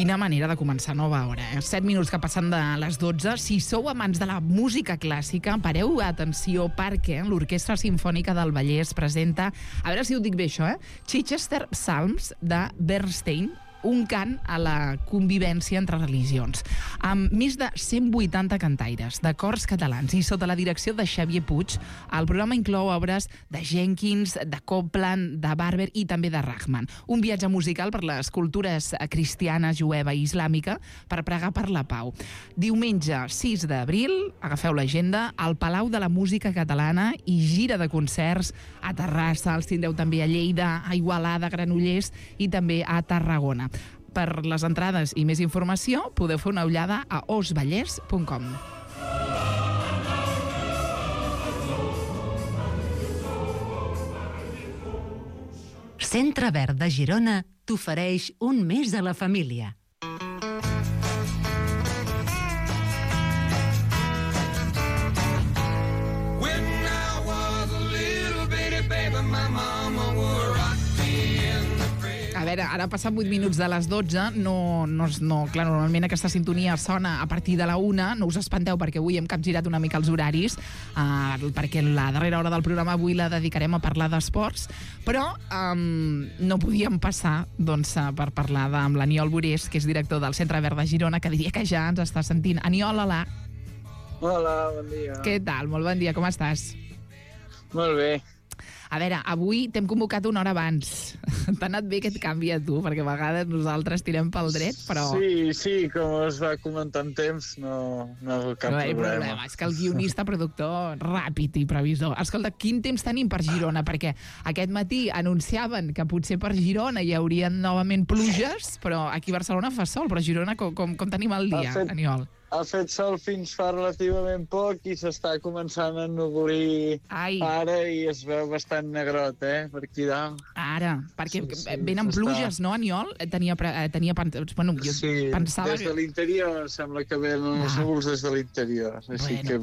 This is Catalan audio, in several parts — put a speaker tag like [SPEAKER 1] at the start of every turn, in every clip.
[SPEAKER 1] Quina manera de començar nova hora, 7 minuts que passen de les 12. Si sou amants de la música clàssica, pareu atenció perquè l'Orquestra Simfònica del Vallès presenta, a veure si ho dic bé això, Chichester Psalms de Bernstein, un cant a la convivència entre religions, amb més de 180 cantaires de cors catalans i sota la direcció de Xavier Puig. El programa inclou obres de Jenkins, de Copland, de Barber i també de Rahman. Un viatge musical per les cultures cristiana, jueva i islàmica per pregar per la pau. Diumenge 6 d'abril, agafeu l'agenda, al Palau de la Música Catalana i gira de concerts a Terrassa, els tindreu també a Lleida, a Igualada, Granollers i també a Tarragona. Per les entrades i més informació podeu fer una ullada a osvallès.com.
[SPEAKER 2] Centre Verd de Girona t'ofereix un mes a la família.
[SPEAKER 1] A veure, ara passen 8 minuts de les 12, clar, normalment aquesta sintonia sona a partir de la 1, no us espanteu perquè avui hem capgirat una mica els horaris, perquè la darrera hora del programa avui la dedicarem a parlar d'esports, però no podíem passar per parlar amb l'Aniol Borés, que és director del Centre Verd de Girona, que diria que ja ens està sentint. Aniol, hola.
[SPEAKER 3] Hola, bon dia.
[SPEAKER 1] Què tal? Molt bon dia, com estàs?
[SPEAKER 3] Molt bé.
[SPEAKER 1] A veure, avui t'hem convocat una hora abans. T'ha anat bé aquest canvi a tu? Perquè a vegades nosaltres tirem pel dret, però...
[SPEAKER 3] Sí, com es va comentar en temps, no cap problema.
[SPEAKER 1] És que el guionista, productor, ràpid i previsor. Escolta, quin temps tenim per Girona? Perquè aquest matí anunciaven que potser per Girona hi haurien novament pluges, però aquí a Barcelona fa sol, però a Girona com tenim el dia, Aniol?
[SPEAKER 3] Ha fet sol fins fa relativament poc i s'està començant a ennuvolir ara i es veu bastant negrot, per aquí dalt.
[SPEAKER 1] Ara, perquè venen pluges, no, Aniol? Bueno, jo pensava...
[SPEAKER 3] Des de l'interior sembla que venen els núvols des de l'interior. Així que,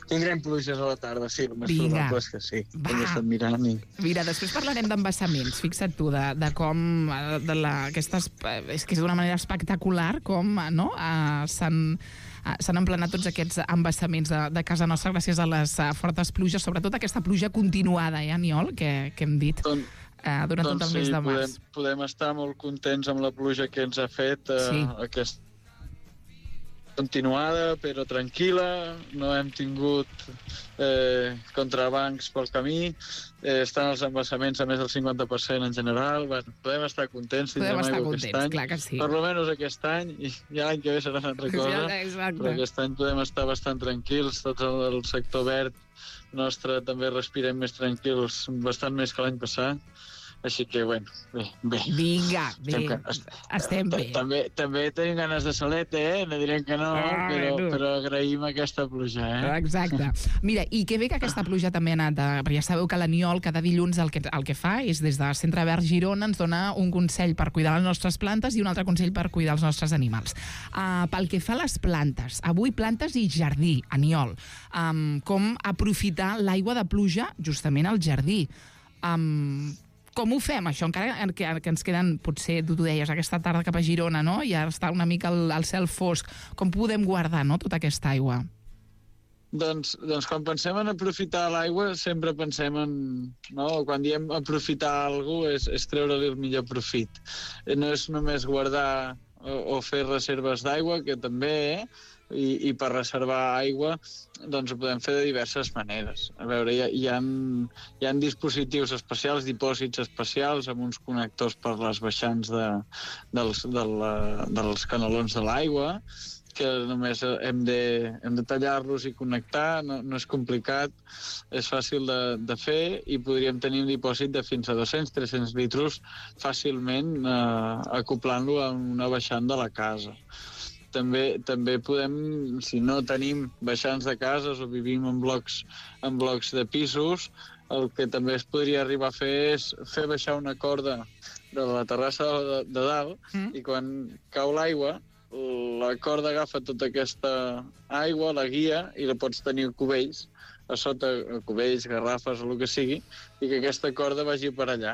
[SPEAKER 3] tindrem pluges a la tarda, sí, el més probable és que sí. Hem estat mirant i...
[SPEAKER 1] Mira, després parlarem d'embassaments. Fixa't tu, de com... És que és d'una manera espectacular com s'han emplenat tots aquests embassaments de casa nostra gràcies a les fortes pluges, sobretot aquesta pluja continuada, Aniol, que hem dit durant tot el mes de març.
[SPEAKER 3] Podem estar molt contents amb la pluja que ens ha fet aquesta continuada, però tranquil·la, no hem tingut contrabancs pel camí, estan els embassaments a més del 50% en general, podem estar contents,
[SPEAKER 1] clar que sí.
[SPEAKER 3] Per almenys aquest any, i l'any que ve serà una altra cosa, però aquest any podem estar bastant tranquils, tot el sector verd nostre també respirem més tranquils, bastant més que l'any passat. Així que, bé.
[SPEAKER 1] Vinga, bé. Estem bé.
[SPEAKER 3] També tenim ganes de solet, no direm que no, però agraïm aquesta pluja,
[SPEAKER 1] Exacte. Mira, i que bé que aquesta pluja també ha anat, perquè ja sabeu que l'Aniol cada dilluns el que fa és des de Centre Verd Girona ens dona un consell per cuidar les nostres plantes i un altre consell per cuidar els nostres animals. Pel que fa a les plantes, avui plantes i jardí, Aniol, com aprofitar l'aigua de pluja justament al jardí. Com ho fem, això? Encara que ens queden, potser, tu deies, aquesta tarda cap a Girona, no? I ara està una mica el cel fosc. Com podem guardar, no?, tota aquesta aigua?
[SPEAKER 3] Doncs quan pensem en aprofitar l'aigua, sempre pensem en... Quan diem aprofitar alguna cosa és treure-li el millor profit. No és només guardar o fer reserves d'aigua, que també, i per reservar aigua doncs ho podem fer de diverses maneres. A veure, hi ha dispositius especials, dipòsits especials amb uns connectors per les baixants dels canalons de l'aigua, que només hem de tallar-los i connectar, no és complicat, és fàcil de fer i podríem tenir un dipòsit de fins a 200-300 litres fàcilment acoplant-lo a una baixant de la casa. També podem, si no tenim baixants de cases o vivim en blocs de pisos, el que també es podria arribar a fer és fer baixar una corda de la terrassa de dalt i quan cau l'aigua, la corda agafa tota aquesta aigua, la guia, i la pots tenir a cubells, a sota cubells, garrafes o el que sigui, i que aquesta corda vagi per allà.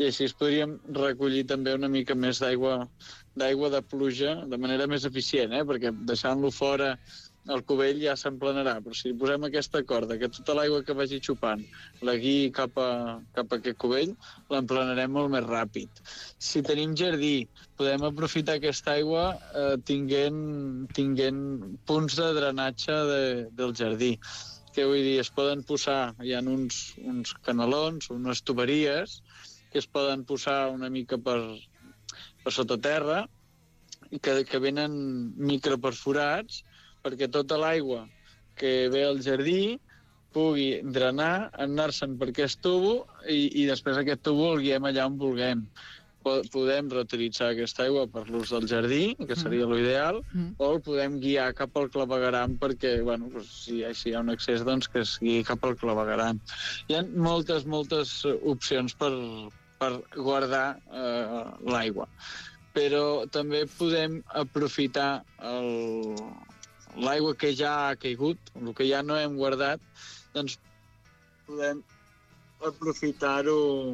[SPEAKER 3] I així podríem recollir també una mica més d'aigua d'aigua de pluja de manera més eficient, perquè deixant-lo fora el cubell ja s'emplenarà, però si posem aquesta corda, que tota l'aigua que vagi xupant la guiï cap a aquest cubell, l'emplenarem molt més ràpid. Si tenim jardí, podem aprofitar aquesta aigua tinguent punts de drenatge del jardí. Què vull dir? Es poden posar, hi ha uns canalons, unes tuberies, que es poden posar una mica per sota terra, que venen microperforats, perquè tota l'aigua que ve al jardí pugui drenar, anar-se'n per aquest tubo i després aquest tubo el guiem allà on vulguem. Podem reutilitzar aquesta aigua per l'ús del jardí, que seria l'ideal, o el podem guiar cap al clavegueram perquè, si hi ha un excés, doncs que es guiï cap al clavegueram. Hi ha moltes opcions per guardar l'aigua. Però també podem aprofitar l'aigua que ja ha caigut, el que ja no hem guardat, doncs podem aprofitar-ho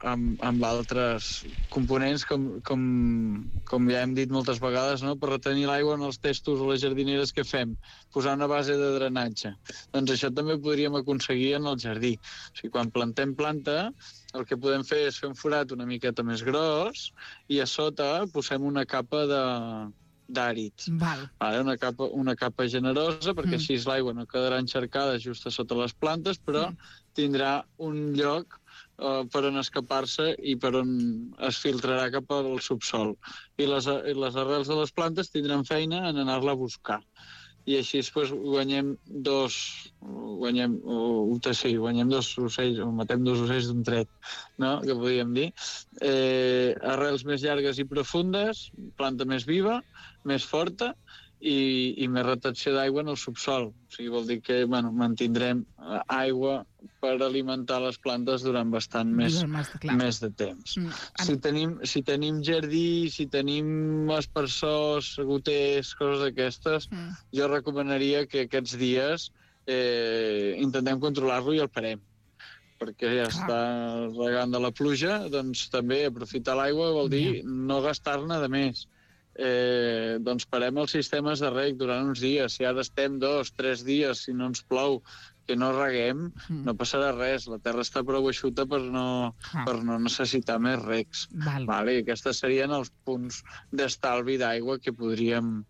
[SPEAKER 3] amb altres components, com ja hem dit moltes vegades, no? Per retenir l'aigua en els testos o les jardineres que fem, posar una base de drenatge. Doncs això també podríem aconseguir en el jardí. O sigui, quan plantem planta, el que podem fer és fer un forat una miqueta més gros i a sota posem una capa d'àrids. Una capa generosa, perquè així l'aigua no quedarà encharcada just a sota les plantes, però tindrà un lloc per on escapar-se i per on es filtrarà cap al subsol. I les arrels de les plantes tindran feina en anar-la a buscar. I així guanyem dos ocells, o matem dos ocells d'un tret, no? Que podríem dir. Arrels més llargues i profundes, planta més viva, més forta i més retenció d'aigua en el subsol. O sigui, vol dir que mantindrem aigua per alimentar les plantes durant bastant més de temps. Si tenim jardí, si tenim aspersors, goters, coses d'aquestes, jo recomanaria que aquests dies intentem controlar-lo i el parem. Perquè ja està regant de la pluja, doncs també aprofitar l'aigua vol dir no gastar-ne de més. Doncs parem els sistemes de reg durant uns dies. Si ara estem 2-3 dies, si no ens plou, que no reguem, no passarà res. La terra està prou eixuta per no necessitar més regs. I aquests serien els punts d'estalvi d'aigua que podríem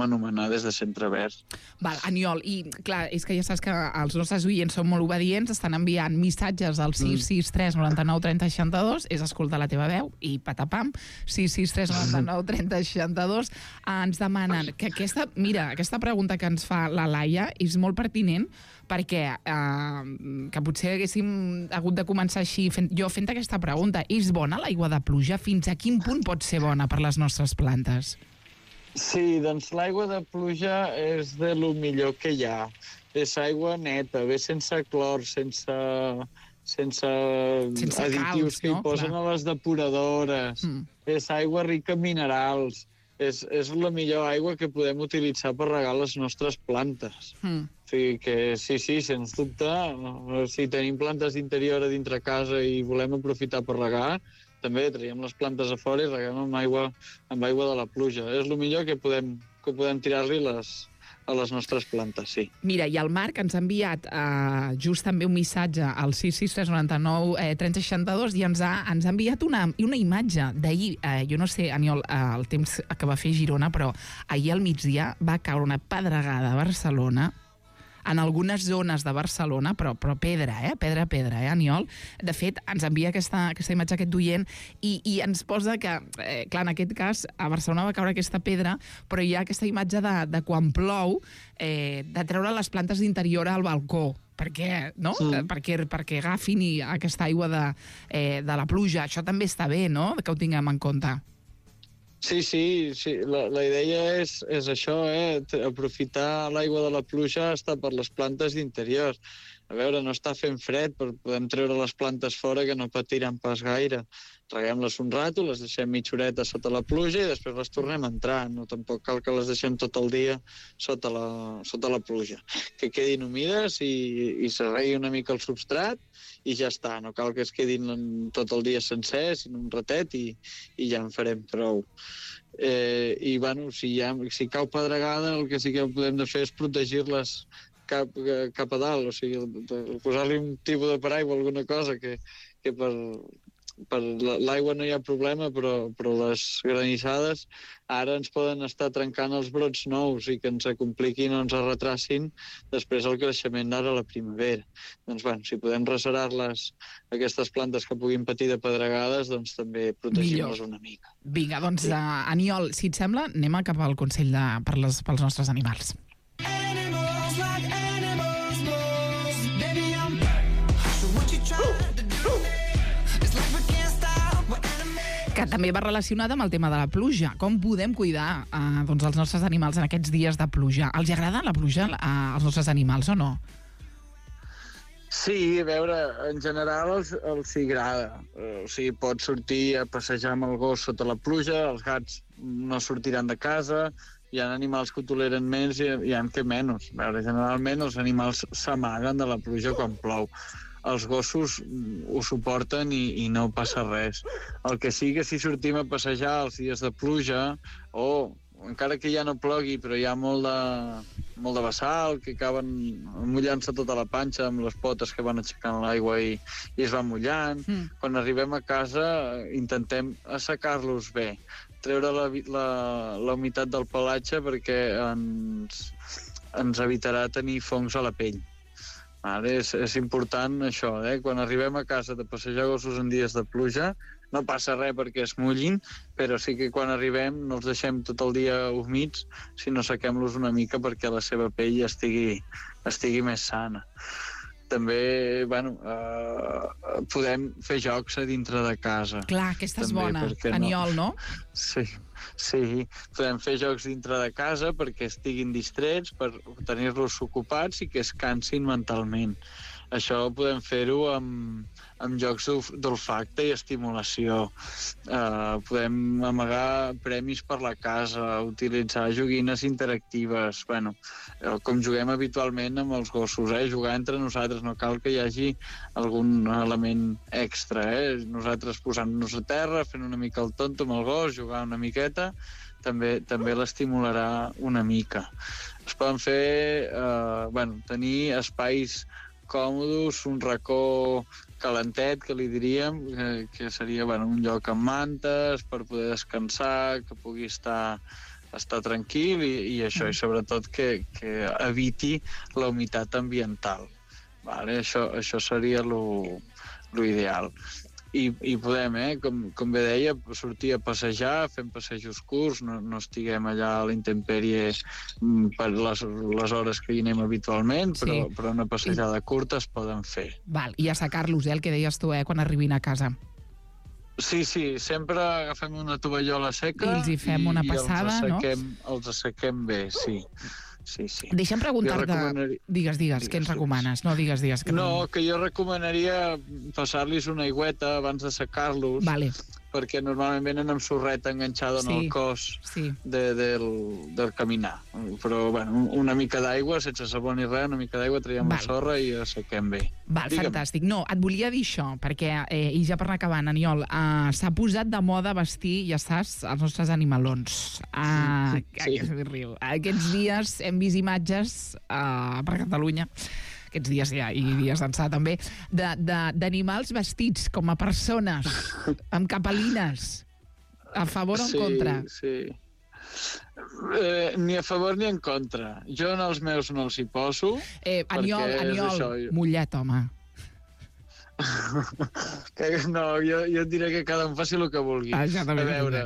[SPEAKER 3] anomenar des de Centre Verd.
[SPEAKER 1] Aniol, i clar, és que ja saps que els nostres oients són molt obedients, estan enviant missatges al 663 99 30 62, és escoltar la teva veu, i patapam, 663 99 30 62, ens demanen que aquesta pregunta que ens fa la Laia és molt pertinent, perquè que potser haguéssim hagut de començar així, jo fent aquesta pregunta, és bona l'aigua de pluja? Fins a quin punt pot ser bona per les nostres plantes?
[SPEAKER 3] Sí, doncs l'aigua de pluja és de lo millor que hi ha. És aigua neta, ve sense clor, sense additius que hi posen a les depuradores. És aigua rica en minerals. És la millor aigua que podem utilitzar per regar les nostres plantes. O sigui que sí, sens dubte, si tenim plantes d'interior a dintre casa i volem aprofitar per regar, també traiem les plantes a fora i reguem amb aigua de la pluja. És el millor que podem tirar-li a les nostres plantes, sí.
[SPEAKER 1] Mira, i el Marc ens ha enviat just també un missatge al 663 99 30 62 i ens ha enviat una imatge d'ahir. Jo no sé, Aniol, el temps que va fer Girona, però ahir al migdia va caure una pedregada a Barcelona, en algunes zones de Barcelona, però pedra, Aniol? De fet, ens envia aquesta imatge aquest oient i ens posa que, clar, en aquest cas, a Barcelona va caure aquesta pedra, però hi ha aquesta imatge de quan plou, de treure les plantes d'interior al balcó, perquè agafin aquesta aigua de la pluja. Això també està bé, no?, que ho tinguem en compte.
[SPEAKER 3] Sí, la idea és això, aprofitar l'aigua de la pluja està per les plantes d'interior. a veure, no està fent fred, però podem treure les plantes fora que no patiran pas gaire. Reguem-les un rato, les deixem mitja horeta sota la pluja i després les tornem a entrar. No, tampoc cal que les deixem tot el dia sota la pluja. Que quedin humides i se regui una mica el substrat i ja està. No cal que es quedin tot el dia sencer, sinó un ratet i ja en farem prou. I, bueno, si cau pedregada, el que sí que podem de fer és protegir-les cap a dalt, o sigui, posar-li un tipus de paraigua o alguna cosa que per l'aigua no hi ha problema, però les granissades ara ens poden estar trencant els brots nous i que ens compliquin o ens retracin després el creixement d'ara a la primavera. Doncs, bueno, si podem reserar-les, aquestes plantes que puguin patir de pedregades, doncs també protegim-les una mica.
[SPEAKER 1] Vinga, doncs, Aniol, si et sembla, anem cap al consell pels nostres animals. Que també va relacionada amb el tema de la pluja. Com podem cuidar doncs, els nostres animals en aquests dies de pluja? Els agrada la pluja als nostres animals o no?
[SPEAKER 3] Sí, a veure, en general els hi agrada. O sigui, pots sortir a passejar amb el gos sota la pluja, els gats no sortiran de casa, hi ha animals que ho toleren més i hi ha que menys. A veure, generalment els animals s'amaguen de la pluja quan plou. Els gossos ho suporten i no passa res. El que sí que si sortim a passejar els dies de pluja, o encara que ja no plogui, però hi ha molt de vessal, que acaben mullant-se tota la panxa amb les potes que van aixecant l'aigua i es van mullant. Quan arribem a casa intentem assecar-los bé, treure la humitat del pelatge perquè ens evitarà tenir fongs a la pell. Ara és important això, quan arribem a casa de passejar gossos en dies de pluja, no passa res perquè es mullin, però sí que quan arribem no els deixem tot el dia humits, sinó sequem-los una mica perquè la seva pell estigui més sana. També, bueno, podem fer jocs a dintre de casa.
[SPEAKER 1] Clar, aquesta és bona, Aniol, no?
[SPEAKER 3] Sí, podem fer jocs dintre de casa perquè estiguin distrets, per tenir-los ocupats i que es cansin mentalment. Això podem fer-ho amb jocs d'olfacte i estimulació. Podem amagar premis per la casa, utilitzar joguines interactives. Bueno, com juguem habitualment amb els gossos, jugar entre nosaltres, no cal que hi hagi algun element extra. Nosaltres posant-nos a terra, fent una mica el tonto amb el gos, jugar una miqueta, també l'estimularà una mica. Es poden fer, tenir espais còmodes, un racó calentet, que li diríem, que seria un lloc amb mantes per poder descansar, que pugui estar tranquil i això, i sobretot que eviti la humitat ambiental. Vale? Això seria l'ideal. I podem, com bé deia, sortir a passejar, fem passejos curts, no estiguem allà a la intempèrie per les hores que hi anem habitualment, però una passejada curta es poden fer.
[SPEAKER 1] Val, i assecar-los, el que deies tu, quan arribin a casa.
[SPEAKER 3] Sí, sempre agafem una tovallola seca
[SPEAKER 1] i els hi fem una passada, no?
[SPEAKER 3] Els assequem bé, sí.
[SPEAKER 1] Deixa'm preguntar-te... Digues, què ens recomanes? No, digues.
[SPEAKER 3] Que jo recomanaria passar-los una aigüeta abans de secar-los, perquè normalment venen amb sorreta enganxada en el cos del caminar. Però, una mica d'aigua, sense sabó ni res, una mica d'aigua, traiem la sorra i assequem bé.
[SPEAKER 1] Fantàstic. No, et volia dir això, perquè, i ja per anar acabant, Aniol, s'ha posat de moda vestir, ja saps, els nostres animalons. Aquests dies hem vist imatges per Catalunya, aquests dies i dies d'ençà també, d'animals vestits com a persones, amb capelines. A favor o en contra?
[SPEAKER 3] Sí. Ni a favor ni en contra. Jo en els meus no els hi poso.
[SPEAKER 1] Aniol, mullet, home.
[SPEAKER 3] No, jo et diré que cada un faci el que vulgui. A veure,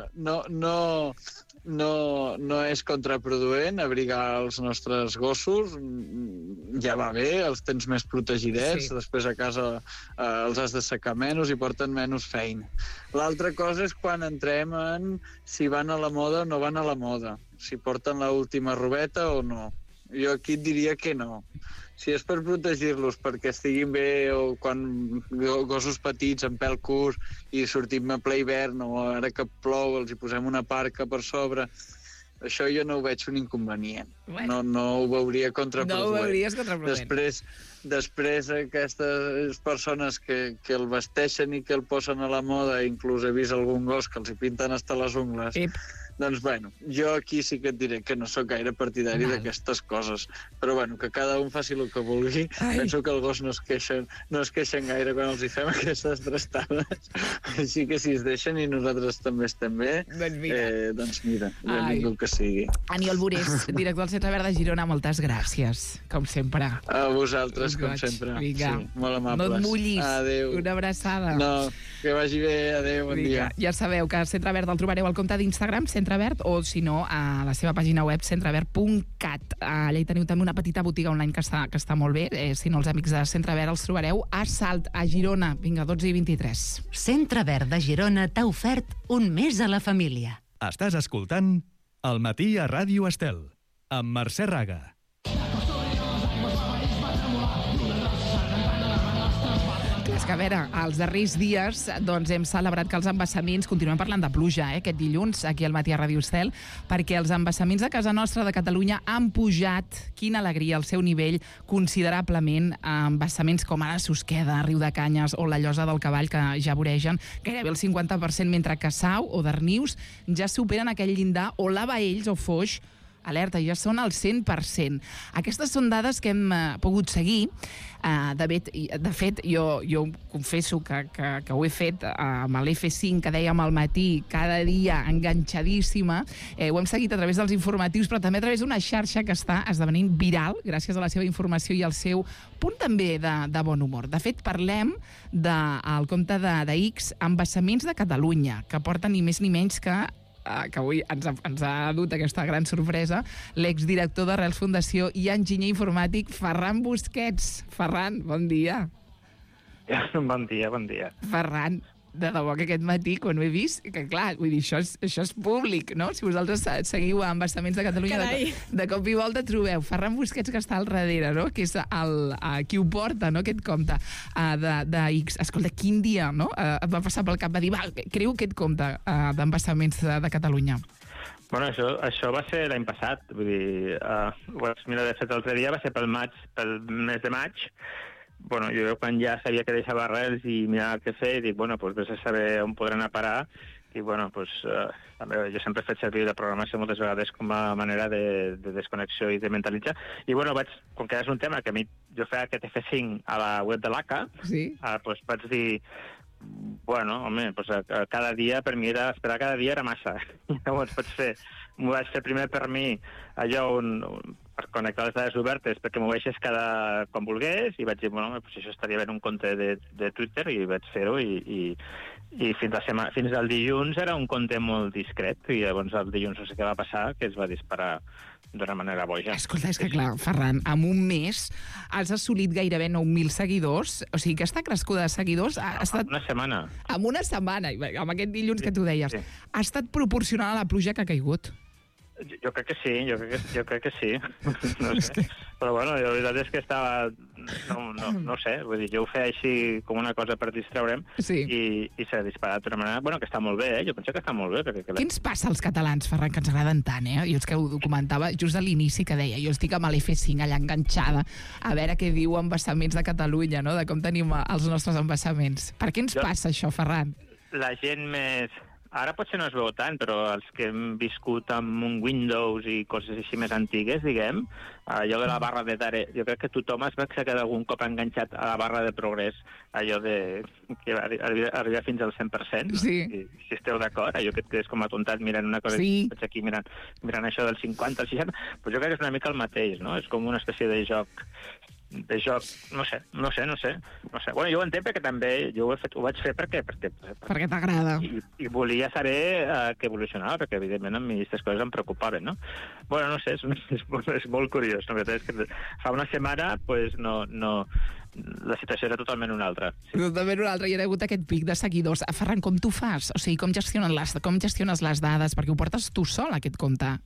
[SPEAKER 3] no és contraproduent abrigar els nostres gossos, ja va bé, els tens més protegidets, després a casa els has de secar menys i porten menys feina. L'altra cosa és quan entrem en si van a la moda o no van a la moda, si porten l'última robeta o no. jo aquí et diria que no. Si és per protegir-los perquè estiguin bé o quan gossos petits en pèl curt i sortim a ple hivern o ara que plou els hi posem una parca per sobre, això jo no ho veig un inconvenient.
[SPEAKER 1] Bueno.
[SPEAKER 3] No ho veuria contraproduent.
[SPEAKER 1] No ho veuries contraproduent.
[SPEAKER 3] Després aquestes persones que el vesteixen i que el posen a la moda, inclús he vist algun gos que els hi pinten hasta les ungles, doncs, bueno, jo aquí sí que et diré que no sóc gaire partidari d'aquestes coses. Però, bueno, que cada un faci el que vulgui. Penso que el gos no es queixen gaire quan els hi fem aquestes trastades. Així que si es deixen i nosaltres també estem bé, doncs mira, benvingut que sigui.
[SPEAKER 1] Aniol Burés, director del Centre Verd de Girona, moltes gràcies, com sempre.
[SPEAKER 3] A vosaltres, com sempre.
[SPEAKER 1] Vinga.
[SPEAKER 3] Sí, molt amables.
[SPEAKER 1] No et mullis.
[SPEAKER 3] Adéu.
[SPEAKER 1] Una abraçada.
[SPEAKER 3] No, que vagi bé. Adéu, bon dia.
[SPEAKER 1] Ja sabeu que Centre Verd el trobareu al compte d'Instagram, Centre Verd, o si no, a la seva pàgina web, centreverd.cat. Allà hi teniu també una petita botiga online que està molt bé. Si no, els amics de Centre Verd els trobareu a Salt, a Girona. Vinga, 12:23.
[SPEAKER 2] Centre Verd de Girona t'ha ofert un mes a la família.
[SPEAKER 4] Estàs escoltant El matí a Ràdio Estel, amb Mercè Raga.
[SPEAKER 1] És que, a veure, els darrers dies doncs, hem celebrat que els embassaments, continuem parlant de pluja, aquest dilluns, aquí al matí a Ràdio Estel, perquè els embassaments de casa nostra de Catalunya han pujat, quina alegria, el seu nivell considerablement. Embassaments com ara Susqueda, Riu de Canyes o la Llosa del Cavall, que ja voregen gairebé el 50%, mentre que Sau o Darnius ja superen aquell llindar, o la Baells o Foix, alerta, ja són al 100%. Aquestes són dades que hem pogut seguir. De fet, jo confesso que ho he fet amb l'F5, que dèiem al matí, cada dia enganxadíssima. Ho hem seguit a través dels informatius, però també a través d'una xarxa que està esdevenint viral gràcies a la seva informació i al seu punt també de bon humor. De fet, parlem del compte de X, Embassaments de Catalunya, que porta ni més ni menys que avui ens ha dut aquesta gran sorpresa, l'exdirector d'Arrels Fundació i enginyer informàtic Ferran Busquets. Ferran, bon dia.
[SPEAKER 5] Bon dia, bon dia.
[SPEAKER 1] Ferran, de debò que aquest matí, quan ho he vist, que clar, vull dir, això és públic, no? Si vosaltres seguiu a Embassaments de Catalunya, de cop i volta trobeu Ferran Busquets, que està al darrere, no? Que és qui ho porta, no? Aquest compte de X. Escolta, quin dia, no? Et va passar pel cap, va dir, va, creu aquest compte d'Embassaments de Catalunya.
[SPEAKER 5] Bueno, això va ser l'any passat, vull dir, mira, de fet, l'altre dia va ser pel mes de maig. Bueno, jo quan ja sabia que deixava Arrels i mirava què fer, dic, bueno, doncs vés a saber on podran anar a parar. I, bueno, doncs, també jo sempre he fet servir la programació moltes vegades com a manera de desconnexió i de mentalitzar. I, bueno, com que és un tema que a mi jo feia aquest F5 a la web de l'ACA, doncs vaig dir, bueno, home, cada dia, per mi esperar cada dia era massa. Llavors m'ho vaig fer primer per mi allò per connectar les dades obertes perquè m'ho veies quan volgués, i vaig dir, bueno, pues això estaria bé en un compte de Twitter, i vaig fer-ho, i fins al dilluns era un compte molt discret, i llavors el dilluns no sé què va passar, que es va disparar d'una manera boja.
[SPEAKER 1] Escolta, és que clar, Ferran, en un mes has assolit gairebé 9.000 seguidors, o sigui, aquesta crescuda de seguidors ha estat...
[SPEAKER 5] Una setmana.
[SPEAKER 1] En una setmana, amb aquest dilluns que tu deies. Sí. Ha estat proporcional a la pluja que ha caigut?
[SPEAKER 5] Jo crec que sí, jo crec que sí. No sé. Però bueno, la veritat és que estava... No sé, vull dir, jo ho feia així com una cosa per distraure'm, i s'ha disparat d'una manera... Bueno, que està molt bé, jo penso que està molt bé.
[SPEAKER 1] Què ens passa als catalans, Ferran, que ens agraden tant, Jo és que ho documentava just a l'inici, que deia, jo estic amb l'F5 allà enganxada, a veure què diu Embassaments de Catalunya, no?, de com tenim els nostres embassaments. Per què ens passa això, Ferran?
[SPEAKER 5] La gent més... Ara potser no es veu tant, però els que hem viscut amb un Windows i coses així més antigues, diguem, allò de la barra de tare... Jo crec que tothom es va quedar algun cop enganxat a la barra de progrés, allò que arriba fins al 100%.
[SPEAKER 1] Sí.
[SPEAKER 5] I, si esteu d'acord, allò que et quedes com atontat mirant una cosa, vaig aquí mirant això del 50 al 60, però jo crec que és una mica el mateix, no? És com una espècie de joc, no sé. Bueno, jo ho entenc perquè també ho vaig fer perquè
[SPEAKER 1] t'agrada.
[SPEAKER 5] I volia saber què evolucionava, perquè evidentment a mi aquestes coses em preocupaven, no? Bueno, no sé, és molt curiós. La veritat és que fa una setmana, pues, no, la situació era totalment una altra. Sí.
[SPEAKER 1] Totalment una altra, i hi ha hagut aquest pic de seguidors. Ferran, com tu fas? O sigui, com gestiones les dades? Perquè ho portes tu sol, aquest compte.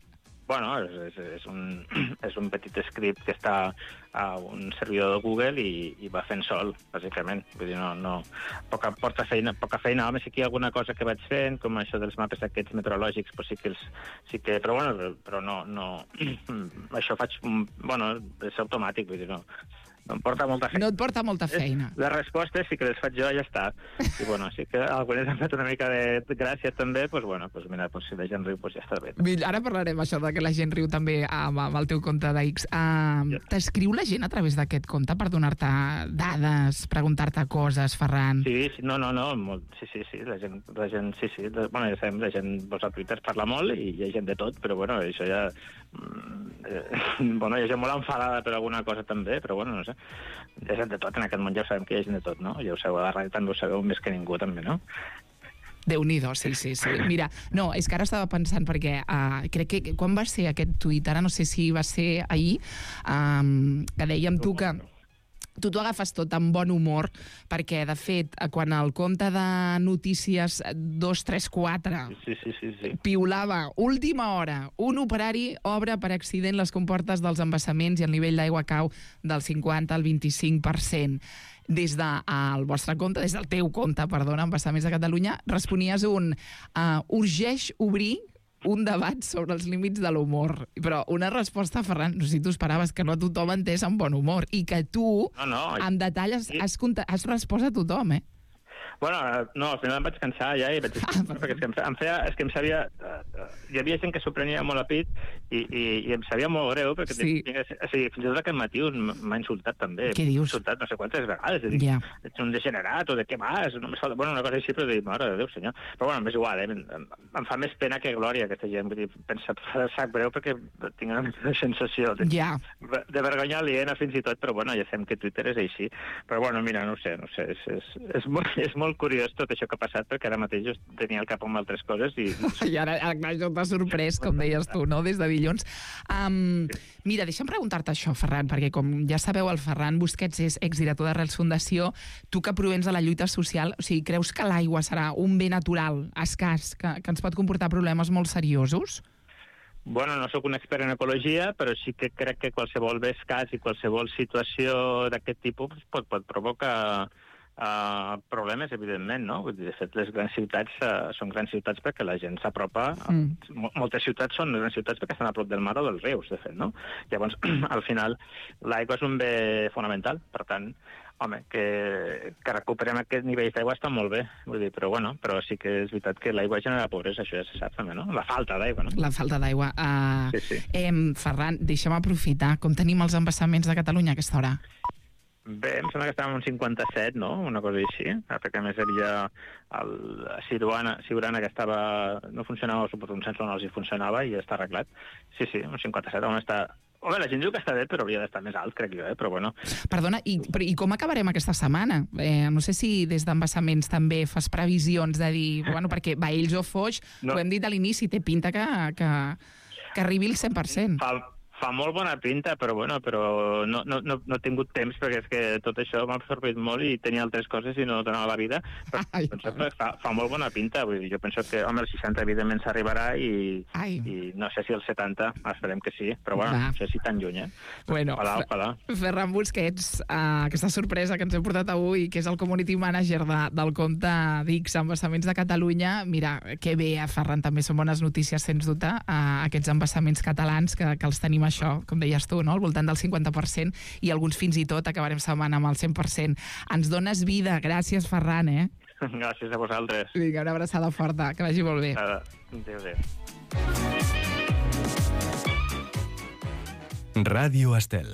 [SPEAKER 5] Bueno, és un petit script que està a un servidor de Google i va fent sol, bàsicament. Vull dir, poca feina. Home, sí que hi ha alguna cosa que vaig fent, com això dels mapes aquests meteorològics, però però bueno, però no... Això faig... Bueno, és automàtic, vull dir, no em porta molta feina.
[SPEAKER 1] No et porta molta feina.
[SPEAKER 5] Les respostes sí que les faig jo i ja està. I bueno, sí que algunes han fet una mica de gràcia també, doncs bueno, mira, si la gent riu, ja està bé.
[SPEAKER 1] Ara parlarem això de que la gent riu també amb el teu compte d'X. T'escriu la gent a través d'aquest compte per donar-te dades, preguntar-te coses, Ferran?
[SPEAKER 5] Sí, no, sí, la gent, sí. Bueno, ja sabem, la gent a Twitter parla molt i hi ha gent de tot, però bueno, això ja... Bueno, hi ha gent molt enfadada per alguna cosa també, però bueno, no sé. Hi ha gent de tot, en aquest món ja ho sabem que hi ha gent de tot, no? Ja ho sabeu, a la ràdio també ho sabeu més que ningú, també, no?
[SPEAKER 1] Déu-n'hi-do, sí. Mira, no, és que ara estava pensant perquè crec que quan va ser aquest tuit, ara no sé si va ser ahir, que dèiem tu que... Tu t'ho agafes tot amb bon humor, perquè, de fet, quan el compte de notícies 234
[SPEAKER 5] sí.
[SPEAKER 1] piulava última hora, un operari obre per accident les comportes dels embassaments i el nivell d'aigua cau del 50 al 25%. Des del vostre compte, des del teu compte, perdona, Embassaments de Catalunya, responies urgeix obrir un debat sobre els límits de l'humor. Però una resposta, Ferran, no sé si tu esperaves que no tothom entès amb bon humor i que tu, amb detall, has respost a tothom, eh?
[SPEAKER 5] Bueno, no, al final em vaig cansar ja i vaig dir, perquè és que em sabia... Hi havia gent que s'ho prenia molt a pit i em sabia molt greu, perquè fins i tot aquest matí m'ha insultat també.
[SPEAKER 1] Què dius?
[SPEAKER 5] M'ha insultat no sé quantes vegades. Ets un degenerat o de què vas? Bueno, una cosa així, però dic, mare de Déu, senyor. Però bueno, m'és igual, em fa més pena que glòria aquesta gent. Vull dir, pensa, sap greu perquè tinc una sensació de vergonya aliena fins i tot, però bueno, ja sabem que Twitter és així. Però bueno, mira, no ho sé, és molt curiós tot això que ha passat, perquè ara mateix jo tenia el cap amb altres coses i...
[SPEAKER 1] I ara això t'ha sorprès, com deies tu, no?, des de dilluns. Mira, deixa'm preguntar-te això, Ferran, perquè com ja sabeu, el Ferran Busquets és exdirector d'Arrels Fundació. Tu que provens de la lluita social, o sigui, creus que l'aigua serà un bé natural, escàs, que ens pot comportar problemes molt seriosos?
[SPEAKER 5] Bueno, no sóc un expert en ecologia, però sí que crec que qualsevol bé escàs i qualsevol situació d'aquest tipus pot provocar problemes, evidentment, no? De fet, les grans ciutats són grans ciutats perquè la gent s'apropa. Moltes ciutats són grans ciutats perquè estan a prop del mar o dels rius, de fet, no? Llavors, al final, l'aigua és un bé fonamental. Per tant, home, que recuperem aquest nivell d'aigua està molt bé, vull dir, però sí que és veritat que l'aigua genera pobresa, això ja se sap també, no? La falta d'aigua, no? La
[SPEAKER 1] falta d'aigua.
[SPEAKER 5] Sí.
[SPEAKER 1] Ferran, deixa'm aprofitar. Com tenim els embassaments de Catalunya a aquesta hora?
[SPEAKER 5] Bé, em sembla que estàvem en 57, no? Una cosa així. Perquè a més hi havia el Siurana que no funcionava, suposo un sensor no els funcionava i ja està arreglat. Sí, un 57, on està... Home, la gent diu que està bé, però hauria d'estar més alt, crec jo, però bueno.
[SPEAKER 1] Perdona, i com acabarem aquesta setmana? No sé si des d'Embassaments també fas previsions de dir... Bueno, perquè Baells o Foix, ho hem dit a l'inici, té pinta que arribi el 100%.
[SPEAKER 5] Fa molt bona pinta, però no he tingut temps, perquè és que tot això m'ha absorbit molt i tenia altres coses i no donava la vida. Però fa molt bona pinta. Vull dir, jo penso que, home, el 60 evidentment s'arribarà i no sé si el 70, esperem que sí, però bueno, no sé si tan lluny,
[SPEAKER 1] Bueno, Ferran Busquets, aquesta sorpresa que ens hem portat avui, que és el community manager del compte d'X Embassaments de Catalunya. Mira, que bé, Ferran, també són bones notícies, sens dubte, aquests embassaments catalans que els tenim això, com deies tu, no? Al voltant del 50%, i alguns fins i tot acabarem setmana amb el 100%. Ens dones vida. Gràcies, Ferran,
[SPEAKER 5] Gràcies a vosaltres.
[SPEAKER 1] Vinga, una abraçada forta. Que vagi molt bé.
[SPEAKER 5] Adéu.
[SPEAKER 4] Ràdio Estel.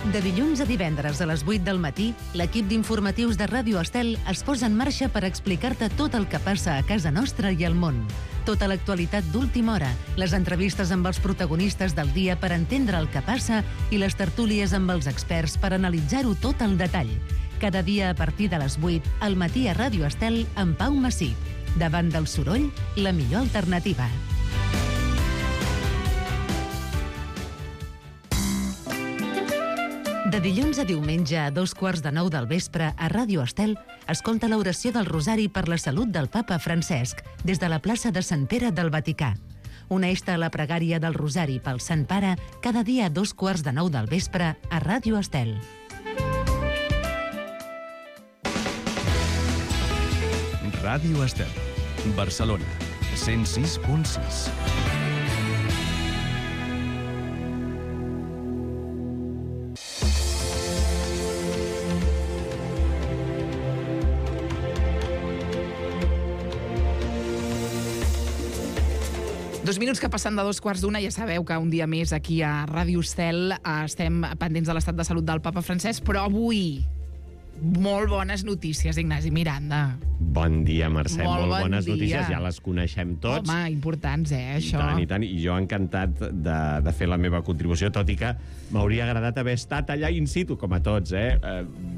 [SPEAKER 2] De dilluns a divendres a les 8 del matí, l'equip d'informatius de Ràdio Estel es posa en marxa per explicar-te tot el que passa a casa nostra i al món. Tota l'actualitat d'última hora, les entrevistes amb els protagonistes del dia per entendre el que passa i les tertúlies amb els experts per analitzar-ho tot al detall. Cada dia a partir de les 8, al matí a Ràdio Estel amb Pau Massip. Davant del soroll, la millor alternativa. De dilluns a diumenge a 2:45 del vespre a Ràdio Estel, escolta l'oració del Rosari per la salut del papa Francesc des de la plaça de Sant Pere del Vaticà. Uneix-te a la pregària del Rosari pel Sant Pare cada dia a 2:45 del vespre a Ràdio Estel.
[SPEAKER 4] Ràdio Estel, Barcelona, 106.6.
[SPEAKER 1] Dos minuts que passen de 2:15, ja sabeu que un dia més aquí a Ràdio Estel estem pendents de l'estat de salut del papa Francesc, però avui molt bones notícies, Ignasi Miranda.
[SPEAKER 6] Bon dia, Mercè.
[SPEAKER 1] Molt bon
[SPEAKER 6] bones
[SPEAKER 1] dia.
[SPEAKER 6] notícies, ja les coneixem tots.
[SPEAKER 1] Home, importants, això.
[SPEAKER 6] I tant. I jo encantat de fer la meva contribució, tot i que m'hauria agradat haver estat allà in situ, com a tots,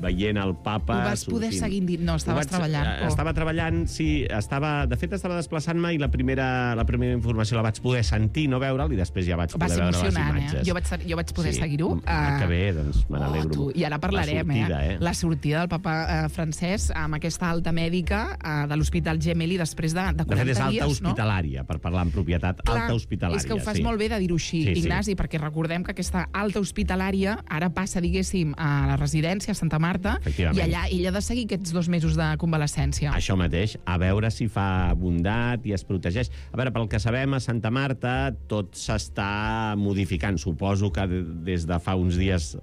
[SPEAKER 6] veient el papa...
[SPEAKER 1] Ho vas poder seguir dient? No, estaves treballant.
[SPEAKER 6] Estava treballant, sí. De fet, estava desplaçant-me i la primera informació la vaig poder sentir, no veure'l, i després ja vaig poder veure les imatges.
[SPEAKER 1] Jo vaig poder seguir-ho.
[SPEAKER 6] Que bé, doncs me n'alegro.
[SPEAKER 1] I ara parlarem, la sortida del papa Francesc amb aquesta alta mèdica de l'Hospital Gemelli després de 40 dies.
[SPEAKER 6] De fet, és alta hospitalària, per parlar en propietat. Alta hospitalària,
[SPEAKER 1] és que ho fas molt bé de dir-ho així, Ignasi, perquè recordem que aquesta alta hospitalària ara passa, diguéssim, a la residència a Santa Marta, i allà ella ha de seguir aquests 2 mesos de convalescència.
[SPEAKER 6] Això mateix, a veure si fa bondat i es protegeix. A veure, pel que sabem, a Santa Marta tot s'està modificant. Suposo que des de fa uns dies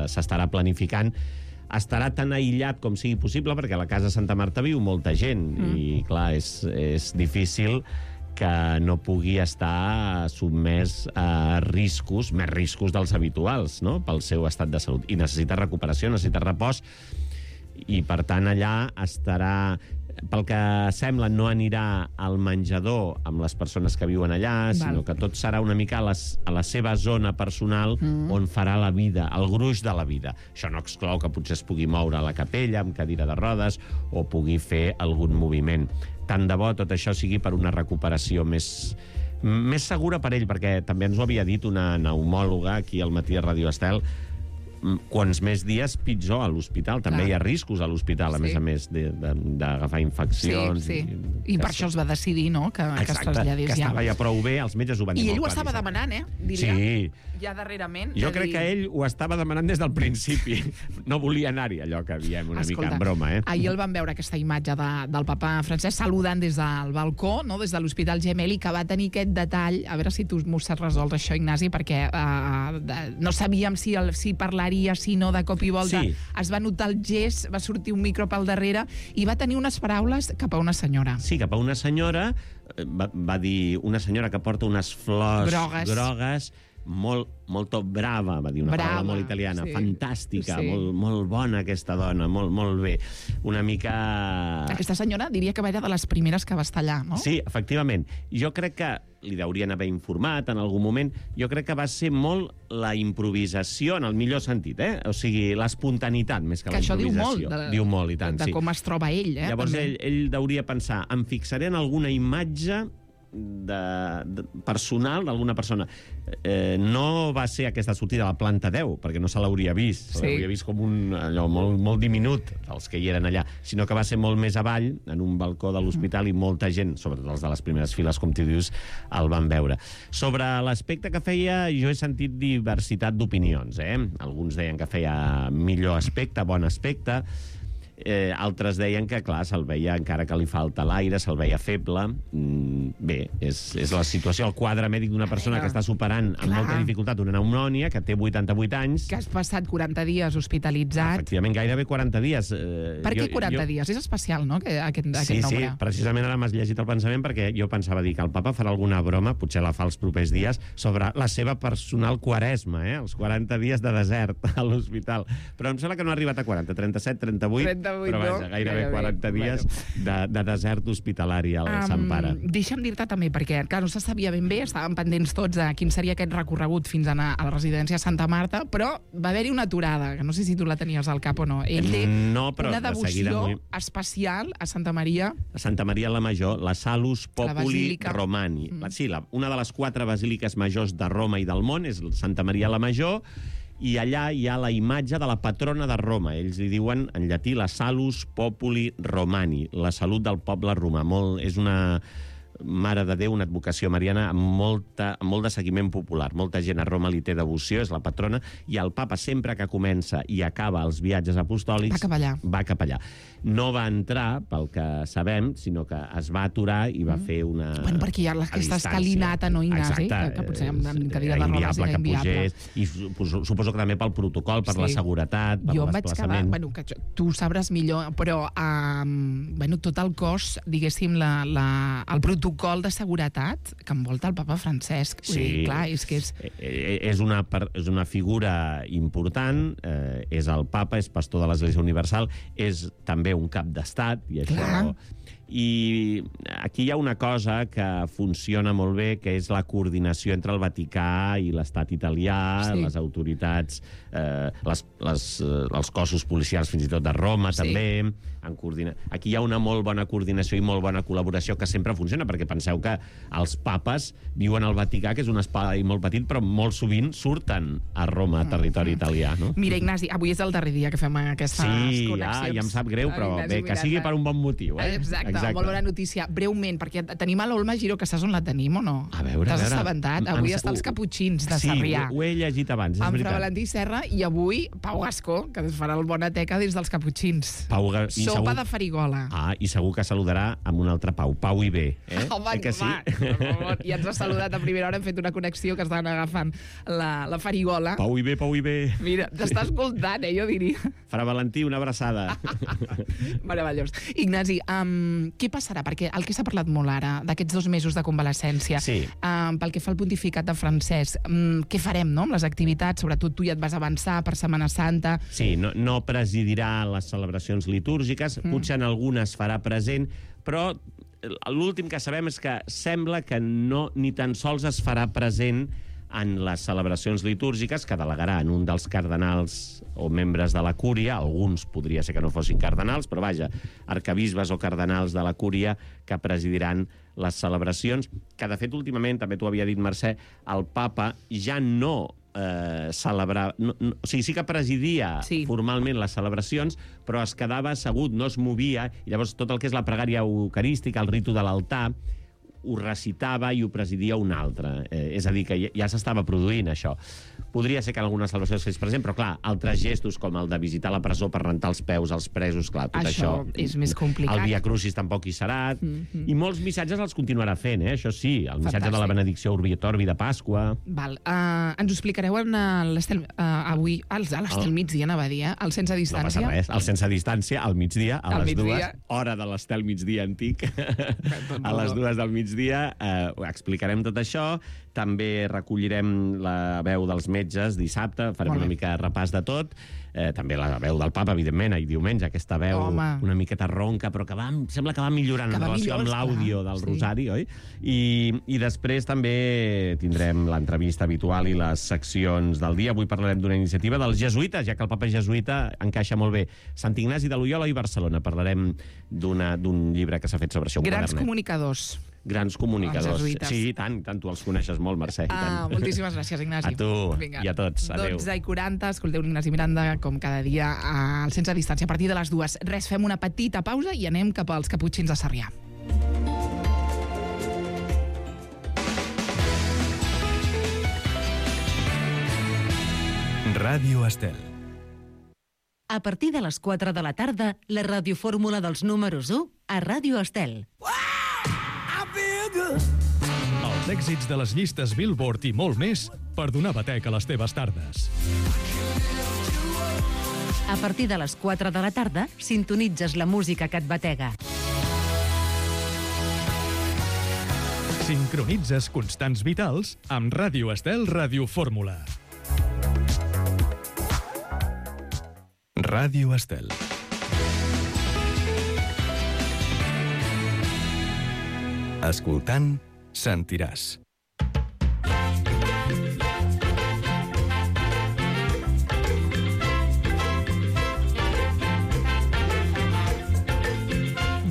[SPEAKER 6] s'estarà planificant. Estarà tan aïllat com sigui possible, perquè a la casa Santa Marta viu molta gent, i clar, és difícil que no pugui estar sotmès a riscos, més riscos dels habituals, no?, pel seu estat de salut. I necessita recuperació, necessita repòs, i per tant allà estarà... Pel que sembla, no anirà al menjador amb les persones que viuen allà, sinó que tot serà una mica a la seva zona personal on farà la vida, el gruix de la vida. Això no exclou que potser es pugui moure a la capella amb cadira de rodes o pugui fer algun moviment. Tant de bo tot això sigui per una recuperació més segura per ell, perquè també ens ho havia dit una pneumòloga aquí al matí a Ràdio Estel. Quants més dies, pitjor a l'hospital. També hi ha riscos a l'hospital, a més d'agafar infeccions.
[SPEAKER 1] I per això es va decidir, no?, que es traslladés ja.
[SPEAKER 6] Que estava ja prou bé, els metges ho van dir molt clar.
[SPEAKER 1] I ell ho estava demanant, diria.
[SPEAKER 6] Sí.
[SPEAKER 1] Ja darrerament.
[SPEAKER 6] Jo crec que ell ho estava demanant des del principi. No volia anar-hi, allò que diem una mica en broma,
[SPEAKER 1] Ahir el vam veure, aquesta imatge del papa Francesc saludant des del balcó, no?, des de l'Hospital Gemelli, que va tenir aquest detall. A veure si tu m'ho saps resoldre, això, Ignasi, perquè no sabíem si parlaria, si no, de cop i volta. Es va notar el gest, va sortir un micro pel darrere i va tenir unes paraules cap a una senyora.
[SPEAKER 6] Sí, cap a una senyora. Va dir una senyora que porta unes flors grogues, molt brava, va dir una paraula molt italiana, fantàstica, molt bona aquesta dona, molt bé. Una mica...
[SPEAKER 1] Aquesta senyora diria que va ser de les primeres que va estar allà, no?
[SPEAKER 6] Sí, efectivament. Jo crec que li haurien haver informat en algun moment. Jo crec que va ser molt la improvisació, en el millor sentit, O sigui, l'espontanitat, més que la improvisació.
[SPEAKER 1] Diu molt,
[SPEAKER 6] i tant,
[SPEAKER 1] de com es troba ell,
[SPEAKER 6] Llavors ell hauria pensar, em fixaré en alguna imatge personal d'alguna persona. No va ser aquesta sortida a la planta 10, perquè no se l'hauria vist. Se l'hauria vist com allò molt diminut, els que hi eren allà, sinó que va ser molt més avall, en un balcó de l'hospital, i molta gent, sobretot els de les primeres files, com tu dius, el van veure. Sobre l'aspecte que feia, jo he sentit diversitat d'opinions. Alguns deien que feia millor aspecte, bon aspecte. Altres deien que, clar, se'l veia encara que li falta l'aire, se'l veia feble. Bé, és la situació, el quadre mèdic d'una persona que està superant amb molta dificultat una pneumònia, que té 88 anys...
[SPEAKER 1] Que has passat 40 dies hospitalitzat.
[SPEAKER 6] Efectivament, gairebé 40 dies.
[SPEAKER 1] Per què 40 dies? És especial, no?, aquest nombre.
[SPEAKER 6] Sí, precisament ara m'has llegit el pensament, perquè jo pensava dir que el papa farà alguna broma, potser la fa els propers dies, sobre la seva personal quaresma, els 40 dies de desert a l'hospital. Però em sembla que no ha arribat a 40, 37, 38... però vaja, gairebé 40 dies de desert hospitalari al Sant Pare.
[SPEAKER 1] Deixa'm dir-te també, perquè clar, no se sabia ben bé, estàvem pendents tots de quin seria aquest recorregut fins a anar a la residència a Santa Marta, però va haver-hi una aturada, que no sé si tu la tenies al cap o no. Ell té una devoció especial a Santa Maria.
[SPEAKER 6] A Santa Maria la Major, la Salus Populi Romani. Sí, una de les 4 basíliques majors de Roma i del món és Santa Maria la Major, i allà hi ha la imatge de la patrona de Roma. Ells li diuen, en llatí, la Salus Populi Romani, la salut del poble romà. És una Mare de Déu, una advocació mariana amb molt de seguiment popular. Molta gent a Roma li té devoció, és la patrona, i el papa sempre que comença i acaba els viatges apostòlics va cap allà. No va entrar, pel que sabem, sinó que es va aturar i va fer una...
[SPEAKER 1] Bueno, perquè hi ha aquesta escalinata, no, Ignasi? Que potser amb cadira de rodes era inviable.
[SPEAKER 6] I suposo que també pel protocol, per la seguretat, per
[SPEAKER 1] Jo
[SPEAKER 6] l'esplaçament.
[SPEAKER 1] em vaig quedar... Bueno, tu ho sabràs millor, però tot el cos, diguéssim, el protocol de seguretat que envolta el papa Francesc.
[SPEAKER 6] Sí,
[SPEAKER 1] clar, és que
[SPEAKER 6] és una figura important, és el papa, és pastor de l'Església Universal, és també un cap d'estat, i això...
[SPEAKER 1] Clar.
[SPEAKER 6] I aquí hi ha una cosa que funciona molt bé, que és la coordinació entre el Vaticà i l'estat italià, les autoritats, els cossos policials fins i tot de Roma, també. Aquí hi ha una molt bona coordinació i molt bona col·laboració que sempre funciona, perquè penseu que els papes viuen al Vaticà, que és un espai molt petit, però molt sovint surten a Roma, a territori italià, no?
[SPEAKER 1] Mira, Ignasi, avui és el darrer dia que fem aquestes connexions.
[SPEAKER 6] Sí, ja em sap greu, però bé, que sigui per un bon motiu, eh?
[SPEAKER 1] Exacte, molt bona notícia. Breument, perquè tenim a l'Olma Giró, que saps on la tenim o no?
[SPEAKER 6] A veure,
[SPEAKER 1] t'has assabentat? Avui està els Caputxins de Sarrià.
[SPEAKER 6] Sí, ho he llegit abans, és
[SPEAKER 1] amb
[SPEAKER 6] veritat.
[SPEAKER 1] Fra Valentí Serra, i avui Pau Gascó, que es farà el Bonateca des dels Caputxins. Sopa de farigola.
[SPEAKER 6] I segur que saludarà amb un altre Pau, Pau i bé.
[SPEAKER 1] Home,
[SPEAKER 6] que sí?
[SPEAKER 1] I ens ha saludat a primera hora, hem fet una connexió que estan agafant la farigola.
[SPEAKER 6] Pau i bé, Pau i bé.
[SPEAKER 1] Mira, t'està escoltant, jo diria.
[SPEAKER 6] Fra Valentí, una abraçada.
[SPEAKER 1] Meravellós. Ignasi, què passarà? Perquè el que s'ha parlat molt ara, d'aquests 2 mesos de convalescència, pel que fa al pontificat de Francesc, què farem, no?, amb les activitats? Sobretot tu ja et vas avançar per Setmana Santa.
[SPEAKER 6] Sí, no presidirà les celebracions litúrgiques, potser en algunes farà present, però l'últim que sabem és que sembla que ni tan sols es farà present en les celebracions litúrgiques, que delegarà en un dels cardenals o membres de la cúria, alguns podria ser que no fossin cardenals, però vaja, arquebisbes o cardenals de la cúria que presidiran les celebracions, que de fet últimament, també t'ho havia dit Mercè, el papa ja no celebrar... O sigui, sí que presidia formalment les celebracions, però es quedava assegut, no es movia, i llavors tot el que és la pregària eucarística, el ritu de l'altar, ho recitava i ho presidia un altre. És a dir, que ja s'estava produint això. Podria ser que en algunes celebracions fes present, però clar, altres gestos com el de visitar la presó per rentar els peus als presos, clar, tot això
[SPEAKER 1] és més complicat.
[SPEAKER 6] El Via Crucis tampoc hi serà. I molts missatges els continuarà fent, això sí. El missatge de la benedicció Urbi et Orbi de Pasqua.
[SPEAKER 1] Val. Ens ho explicareu avui, a l'Estel migdia, anava a dir, al sense distància?
[SPEAKER 6] No passa res. Al sense distància, al migdia, a les 2, hora de l'Estel migdia antic, a les 2 del migdia, explicarem tot això. També recollirem la veu dels metges dissabte, farem una mica de repàs de tot. També la veu del papa, evidentment, i diumenge, aquesta veu una miqueta ronca, però que sembla que va millorant en relació amb l'àudio del Rosari, oi? I després també tindrem l'entrevista habitual i les seccions del dia. Avui parlarem d'una iniciativa dels jesuïtes, ja que el papa jesuïta encaixa molt bé. Sant Ignasi de Loyola i Barcelona. Parlarem d'un llibre que s'ha fet sobre això.
[SPEAKER 1] Grans comunicadors.
[SPEAKER 6] Grans comunicadors. Sí, tant tu els coneixes molt, Mercè.
[SPEAKER 1] Moltíssimes gràcies, Ignasi.
[SPEAKER 6] A tu i a tots. Adéu.
[SPEAKER 1] 12:40, escolteu l'Ignasi Miranda, com cada dia, al Sense Distància, a partir de les 2. Res, fem una petita pausa i anem cap als Caputxins de Sarrià.
[SPEAKER 4] Ràdio Estel.
[SPEAKER 2] A partir de les 4 de la tarda, la radiofórmula dels números 1 a Ràdio Estel.
[SPEAKER 4] Els èxits de les llistes Billboard i molt més per donar batec a les teves tardes.
[SPEAKER 2] A partir de les 4 de la tarda, sintonitzes la música que et batega.
[SPEAKER 4] Sincronitzes constants vitals amb Ràdio Estel Radiofórmula. Ràdio Estel. Escoltant, sentiràs.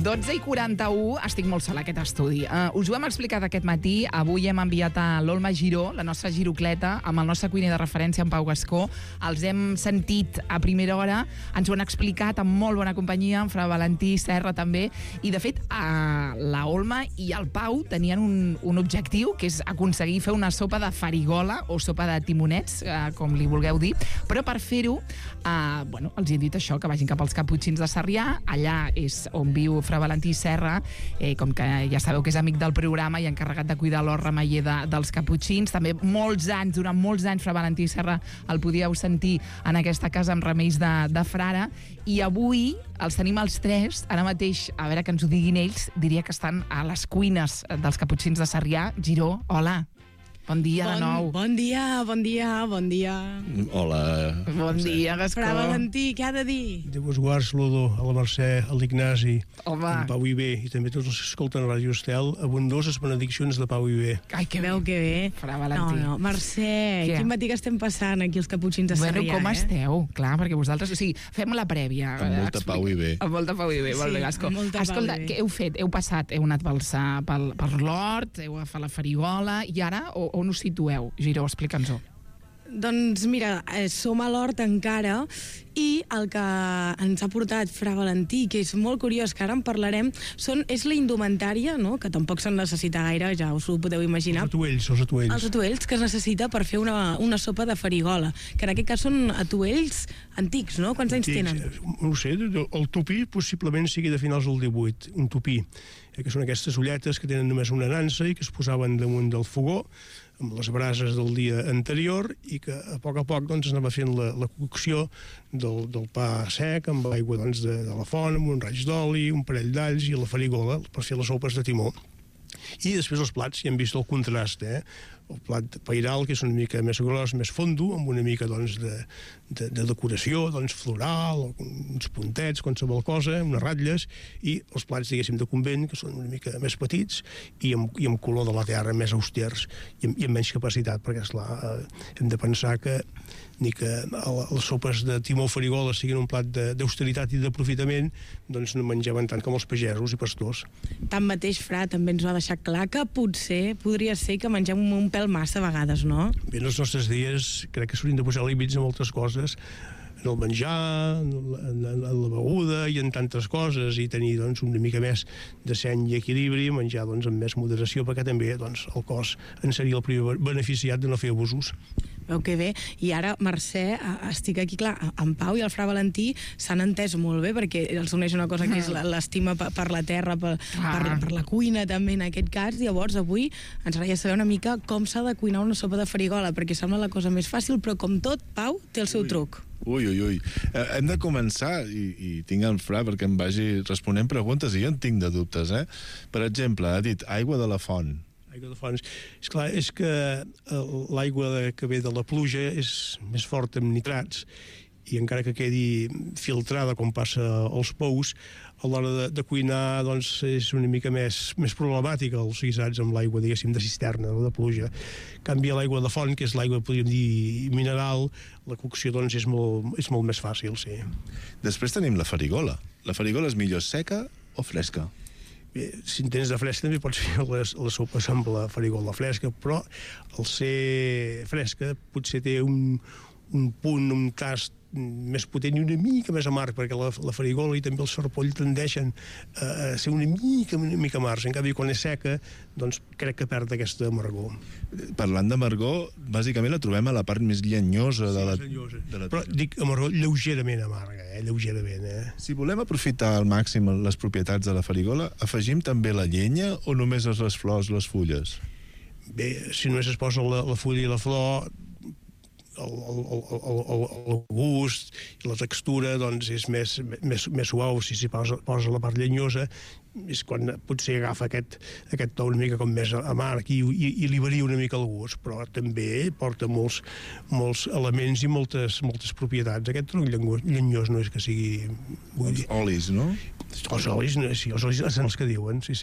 [SPEAKER 1] 12:41, estic molt sola aquest estudi. Us ho hem explicat aquest matí, avui hem enviat a l'Olma Giró, la nostra girocleta, amb el nostre cuiner de referència, en Pau Gascó. Els hem sentit a primera hora, ens ho han explicat amb molt bona companyia, en Fra Valentí Serra també, i de fet la Olma i el Pau tenien un objectiu, que és aconseguir fer una sopa de farigola o sopa de timonets, com li vulgueu dir, però per fer-ho, els he dit això, que vagin cap als Caputxins de Sarrià, allà és on viu Fra Valentí Serra, com que ja sabeu que és amic del programa i encarregat de cuidar l'hort remeller dels Caputxins. També durant molts anys, Fra Valentí Serra el podíeu sentir en aquesta casa amb remeis de frare, i avui els tenim els tres, ara mateix, a veure que ens ho diguin ells, diria que estan a les cuines dels Caputxins de Sarrià. Giró, hola. Bon dia de nou.
[SPEAKER 7] Bon dia.
[SPEAKER 8] Hola.
[SPEAKER 1] Bon dia, Gascó.
[SPEAKER 7] Fra Valentí, què ha de dir?
[SPEAKER 9] Déu vos guard, saludo a la Mercè, a l'Ignasi,
[SPEAKER 1] a
[SPEAKER 9] Pau i Bé, i també tots els que escolten Ràdio Estel, abundoses benediccions de Pau i Bé.
[SPEAKER 1] Ai, que
[SPEAKER 7] veu que bé.
[SPEAKER 1] Fra Valentí.
[SPEAKER 7] No, Mercè, quin matí que estem passant aquí els Caputxins de Sarrià,
[SPEAKER 1] Bueno, com esteu? Clar, perquè vosaltres... O sigui, fem la prèvia.
[SPEAKER 8] Amb molta Pau i Bé.
[SPEAKER 1] Amb molta Pau i Bé, molt bé, Gascó. Escolta, què heu fet? Heu passat, heu anat per l'hort, heu agafat la farigola, i ara on us situeu? Giró, explica'ns-ho.
[SPEAKER 7] Doncs mira, som a l'hort encara, i el que ens ha portat Fra Valentí, que és molt curiós, que ara en parlarem, és la indumentària, no? Que tampoc se'n necessita gaire, ja us ho podeu imaginar.
[SPEAKER 9] Els atuells.
[SPEAKER 7] Els atuells que es necessita per fer una sopa de farigola, que en aquest cas són atuells antics, no? Quants anys tenen?
[SPEAKER 9] No sé, el tupí possiblement sigui de finals del 18, un tupí, que són aquestes ulletes que tenen només una nansa i que es posaven damunt del fogó amb les brases del dia anterior, i que a poc doncs anava fent la cocció del pa sec amb l'aigua doncs, de la font, amb un raig d'oli, un parell d'alls i la farigola per fer les sopes de timó. I després els plats, ja hem vist el contrast, el plat pairal, que és una mica més gros, més fondo, amb una mica doncs, de decoració doncs, floral, uns puntets, qualsevol cosa, unes ratlles, i els plats, diguéssim, de convent, que són una mica més petits i amb color de la terra, més austers i amb menys capacitat, perquè, esclar, hem de pensar que ni que les sopes de timó o farigola siguin un plat d'austeritat i d'aprofitament, doncs no menjaven tant com els pagesos i pastors.
[SPEAKER 7] Tanmateix, Fra, també ens va deixar clar que potser podria ser que mengem un pèl massa a vegades, no?
[SPEAKER 9] Bé, en els nostres dies crec que s'haurien de posar límits a moltes coses, en el menjar, en la beguda i en tantes coses, i tenir doncs, una mica més de seny i equilibri, menjar doncs, amb més moderació, perquè també doncs, el cos en seria el primer beneficiat de no fer abusos.
[SPEAKER 7] Veu que bé, i ara, Mercè, estic aquí, clar, en Pau i el Fra Valentí s'han entès molt bé, perquè els uneix una cosa que és l'estima per la terra, per la cuina també en aquest cas. Llavors avui ens agradaria saber una mica com s'ha de cuinar una sopa de farigola, perquè sembla la cosa més fàcil, però com tot, Pau, té el seu truc.
[SPEAKER 8] Ui. Hem de començar, i tinc el Fra perquè em vagi responent preguntes, i jo en tinc de dubtes, Per exemple, ha dit aigua de la font.
[SPEAKER 9] Aigua de fonts. Esclar, és que l'aigua que ve de la pluja és més forta amb nitrats, i encara que quedi filtrada com passa als pous, a l'hora de cuinar doncs, és una mica més problemàtica els guisats amb l'aigua, diguéssim, de cisterna o de pluja. En canvi, l'aigua de font, que és l'aigua, podríem dir, mineral, la cocció doncs, és molt més fàcil, sí.
[SPEAKER 8] Després tenim la farigola. La farigola és millor seca o fresca?
[SPEAKER 9] Bé, si en tens de fresca també pots fer les sopes amb la farigola fresca, però al ser fresca potser té un punt, un tast més potent i una mica més amarg, perquè la farigola i també el sarpoll tendeixen a ser una mica amargs. En canvi, quan és seca, doncs crec que perd aquesta amargor.
[SPEAKER 8] Parlant d'amargor, bàsicament la trobem a la part més llenyosa de la...
[SPEAKER 9] Però dic amargor lleugerament amarga, lleugerament.
[SPEAKER 8] Si volem aprofitar al màxim les propietats de la farigola, afegim també la llenya o només les flors, les fulles?
[SPEAKER 9] Bé, si només es posa la fulla i la flor, el gust i la textura doncs és més suau. Si s'hi posa la part llenyosa és quan potser agafa aquest to una mica com més amarg i li varia una mica el gust, però també porta molts elements i moltes propietats. Aquest tronc llenyós no és que sigui...
[SPEAKER 8] Els olis, no?
[SPEAKER 9] Els olis, sí, els olis són els que diuen, sí,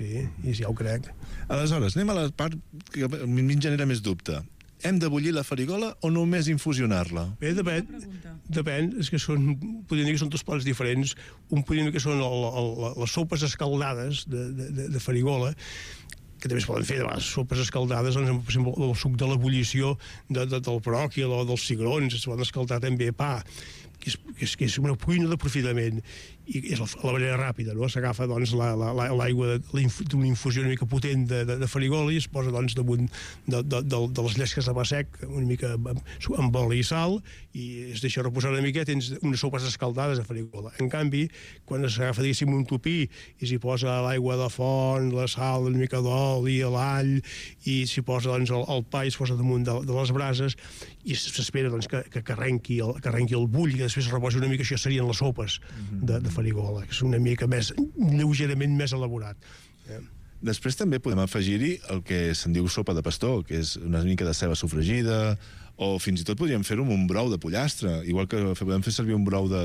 [SPEAKER 9] ja ho crec.
[SPEAKER 8] Aleshores, anem a la part que a mi em genera més dubte. hem de bullir la farigola o només infusionar-la?
[SPEAKER 9] Bé, depèn, és que podríem dir que són dos plats diferents. Un podríem dir que són les sopes escaldades de farigola, que també es poden fer de vegades sopes escaldades, doncs, per exemple, el suc de l'ebullició del bròquil o dels cigrons, es poden escaldar també pa, que és una cuina d'aprofitament, i és la manera ràpida, no? S'agafa doncs, l'aigua d'una infusió una mica potent de farigola i es posa doncs, damunt de les llesques de pa sec, una mica amb oli i sal, i es deixa reposar una mica, tens unes sopes escaldades de farigola. En canvi, quan s'agafa, diguéssim, un tupí i s'hi posa l'aigua de font, la sal, una mica d'oli, l'all, i s'hi posa doncs, el pa i es posa damunt de les brases, i s'espera doncs, que arrenqui el bull, i que després es reposi una mica, això serien les sopes de farigola, que és una mica més, lleugerament més elaborat.
[SPEAKER 8] Després també podem afegir-hi el que se'n diu sopa de pastor, que és una mica de ceba sofregida, o fins i tot podríem fer-ho amb un brou de pollastre, igual que podem fer servir un brou de...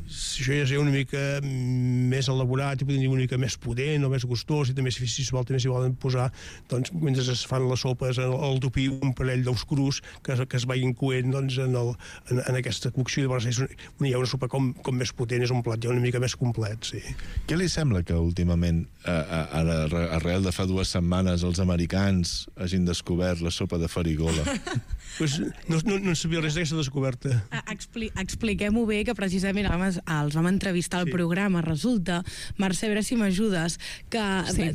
[SPEAKER 9] Això ja és una mica més elaborat i podem dir una mica més potent o més gustós, i també si s'hi volen posar, doncs, mentre es fan les sopes al tupí, un parell d'ous crus que es vagin coent doncs, en aquesta cocció. Llavors hi ha una sopa com més potent, és un plat ja una mica més complet, sí.
[SPEAKER 8] Què li sembla que últimament, arrel de fa 2 setmanes, els americans hagin descobert la sopa de farigola?
[SPEAKER 9] Pues no en sabia res d'aquesta descoberta.
[SPEAKER 7] Expliquem-ho bé, que precisament els vam entrevistar al programa. Resulta, Mercè, a veure si m'ajudes, que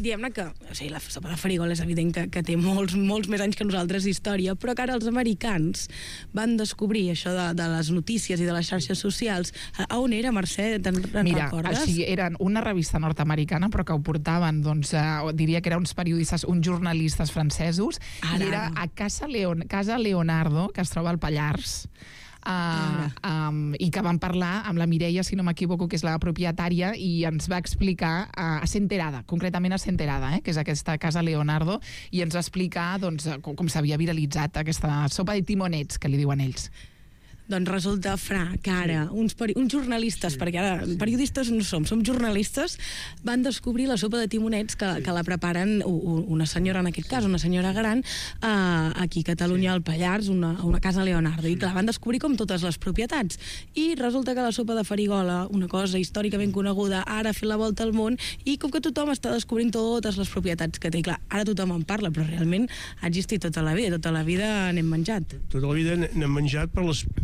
[SPEAKER 7] diguem-ne que la sopa de farigola és evident que té molts més anys que nosaltres d'història, però que ara els americans van descobrir això de les notícies i de les xarxes socials. A on era, Mercè? Te'n recordes?
[SPEAKER 1] Mira, era una revista nord-americana, però que ho portaven, doncs, diria que eren uns periodistes, uns jornalistes francesos, i era a Casa Leonardo, que es troba al Pallars, i que van parlar amb la Mireia, si no m'equivoco, que és la propietària, i ens va explicar a Senterada, concretament a Senterada, que és aquesta Casa Leonardo, i ens va explicar doncs, com s'havia viralitzat aquesta sopa de timonets, que li diuen ells.
[SPEAKER 7] Doncs resulta, Fra, que ara uns jornalistes, perquè ara periodistes no som jornalistes, van descobrir la sopa de timonets que la preparen una senyora, en aquest cas, una senyora gran, aquí a Catalunya, al Pallars, una Casa Leonardo, i que la van descobrir com totes les propietats. I resulta que la sopa de farigola, una cosa històricament coneguda, ara ha fet la volta al món, i com que tothom està descobrint totes les propietats que té. Clar, ara tothom en parla, però realment ha existit tota la vida n'hem menjat.
[SPEAKER 9] Tota la vida n'hem menjat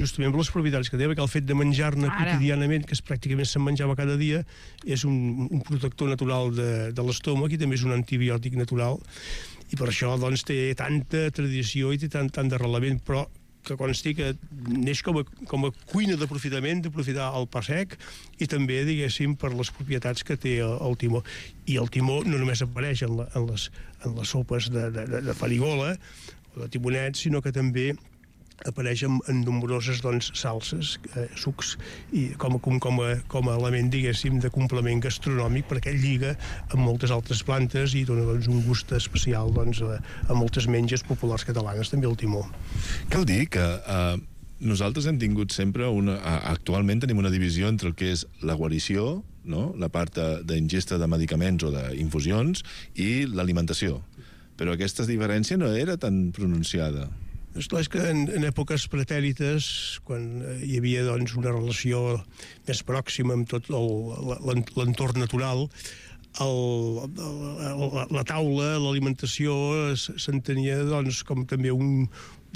[SPEAKER 9] justament per les propietats que té, perquè el fet de menjar-ne quotidianament, que pràcticament se'n menjava cada dia, és un protector natural de l'estómac i també és un antibiòtic natural, i per això doncs, té tanta tradició i té tant d'arrelament, però que consti que neix com a cuina d'aprofitament, d'aprofitar el pa sec, i també, diguéssim, per les propietats que té el timó. I el timó no només apareix en les sopes de farigola o de timonets, sinó que també apareix en nombroses salses, sucs, i com a element, diguéssim, de complement gastronòmic, perquè lliga amb moltes altres plantes i dona un gust especial a moltes menges populars catalanes, també el timó.
[SPEAKER 8] Cal dir que nosaltres hem tingut sempre actualment tenim una divisió entre el que és la guarició, no? La part d'ingesta de medicaments o d'infusions, i l'alimentació. Però aquesta diferència no era tan pronunciada.
[SPEAKER 9] Esclar, és que en èpoques pretèrites, quan hi havia una relació més pròxima amb tot l'entorn natural, la taula, l'alimentació, s'entenia com també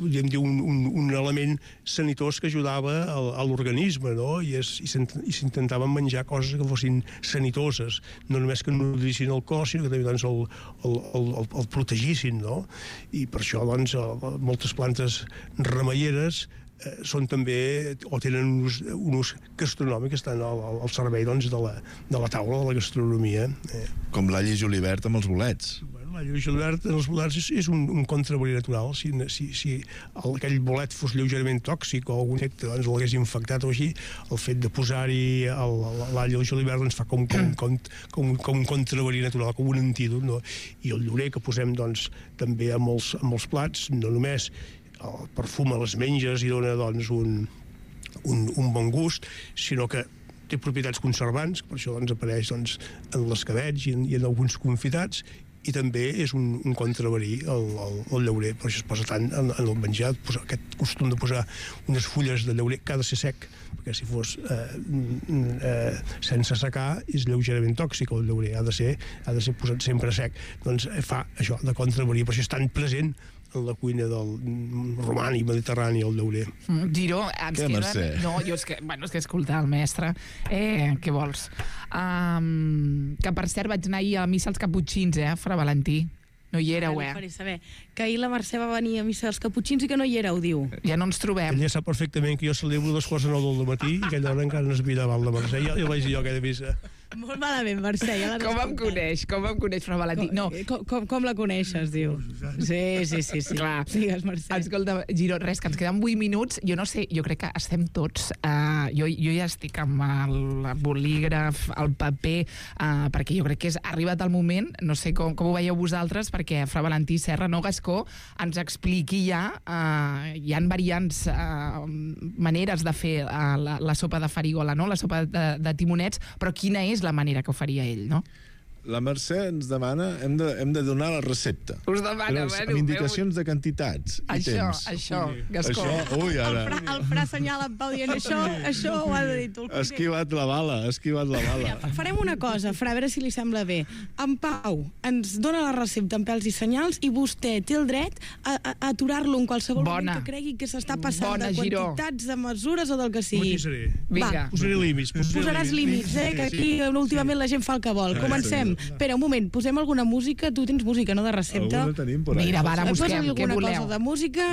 [SPEAKER 9] podríem dir, un element sanitós que ajudava a l'organisme, no? I s'intentaven menjar coses que fossin sanitoses, no només que nodrissin el cos, sinó que també el protegissin, no? I per això moltes plantes remeieres són també, o tenen un ús gastronòmic, que estan al servei de la taula de la gastronomia.
[SPEAKER 8] Com l'all i julivert amb els bolets.
[SPEAKER 9] L'all i julivert en els bolets és un contraboli natural. Si aquell bolet fos lleugerament tòxic o algun efecte l'hagués infectat o així, el fet de posar-hi l'all i el julivert fa com un contraboli natural, com un antídot, no? I el llorer que posem també amb els plats, no només el perfum a les menges i dona un bon gust, sinó que té propietats conservants, per això apareix en l'escabetx i en alguns confitats, i també és un contraverí el llaurer, per això es posa tant en el menjar, aquest costum de posar unes fulles de llaurer que ha de ser sec, perquè si fos sense secar és lleugerament tòxic el llaurer, ha de ser posat sempre sec, doncs fa això de contraverí, per això és tan present en la cuina del romànic, mediterrani, el llaurer.
[SPEAKER 1] Giró,
[SPEAKER 8] Què, Mercè?
[SPEAKER 1] No, jo és que escoltar el mestre, què vols? Que per cert vaig anar ahir a missa als Caputxins, Fra Valentí. No hi éreu,
[SPEAKER 7] Faré saber que ahir la Mercè va venir a missa als Caputxins i que no hi éreu, diu.
[SPEAKER 1] Ja no ens trobem.
[SPEAKER 9] Ella sap perfectament que jo celebro 2:45 del matí i aquella hora encara no es mira davant la Mercè. Ja vaig dir jo aquella missa.
[SPEAKER 7] Molt malament, Mercè. Ja
[SPEAKER 1] com em coneix, Fra Valentí? No.
[SPEAKER 7] Com la coneixes, diu. Sí.
[SPEAKER 1] Clar.
[SPEAKER 7] Digues, Mercè.
[SPEAKER 1] Escolta, Giró, res, que ens queden 8 minuts. Jo no sé, jo crec que estem tots... Jo ja estic amb el bolígraf, el paper, perquè jo crec que ha arribat el moment, no sé com ho veieu vosaltres, perquè Fra Valentí Serra, no Gascó, ens expliqui ja, hi ha variants, maneres de fer la sopa de farigola, no? La sopa de timonets, però quina és la manera que ho faria ell, no?
[SPEAKER 8] La Mercè ens demana, hem de donar la recepta.
[SPEAKER 1] Us demana,
[SPEAKER 8] amb indicacions de quantitats i temps.
[SPEAKER 1] Això, Gascó.
[SPEAKER 8] Ui, ara.
[SPEAKER 7] El Fra assenyala en Pau dient això ho ha de dir tu.
[SPEAKER 8] Ha esquivat la bala.
[SPEAKER 7] Farem una cosa, Fra, a veure si li sembla bé. En Pau ens dona la recepta en pèls i senyals i vostè té el dret a aturar-lo en qualsevol moment que cregui que s'està passant de quantitats, de mesures o del que sigui.
[SPEAKER 9] Vinga. Posaré límits.
[SPEAKER 7] Posaràs límits, que aquí últimament la gent fa el que vol. Comencem. Espera, un moment, posem alguna música. Tu tens música, no, de recepta?
[SPEAKER 8] Alguna tenim por ahí.
[SPEAKER 1] Mira, va, ara busquem, què voleu?
[SPEAKER 7] Cosa de música,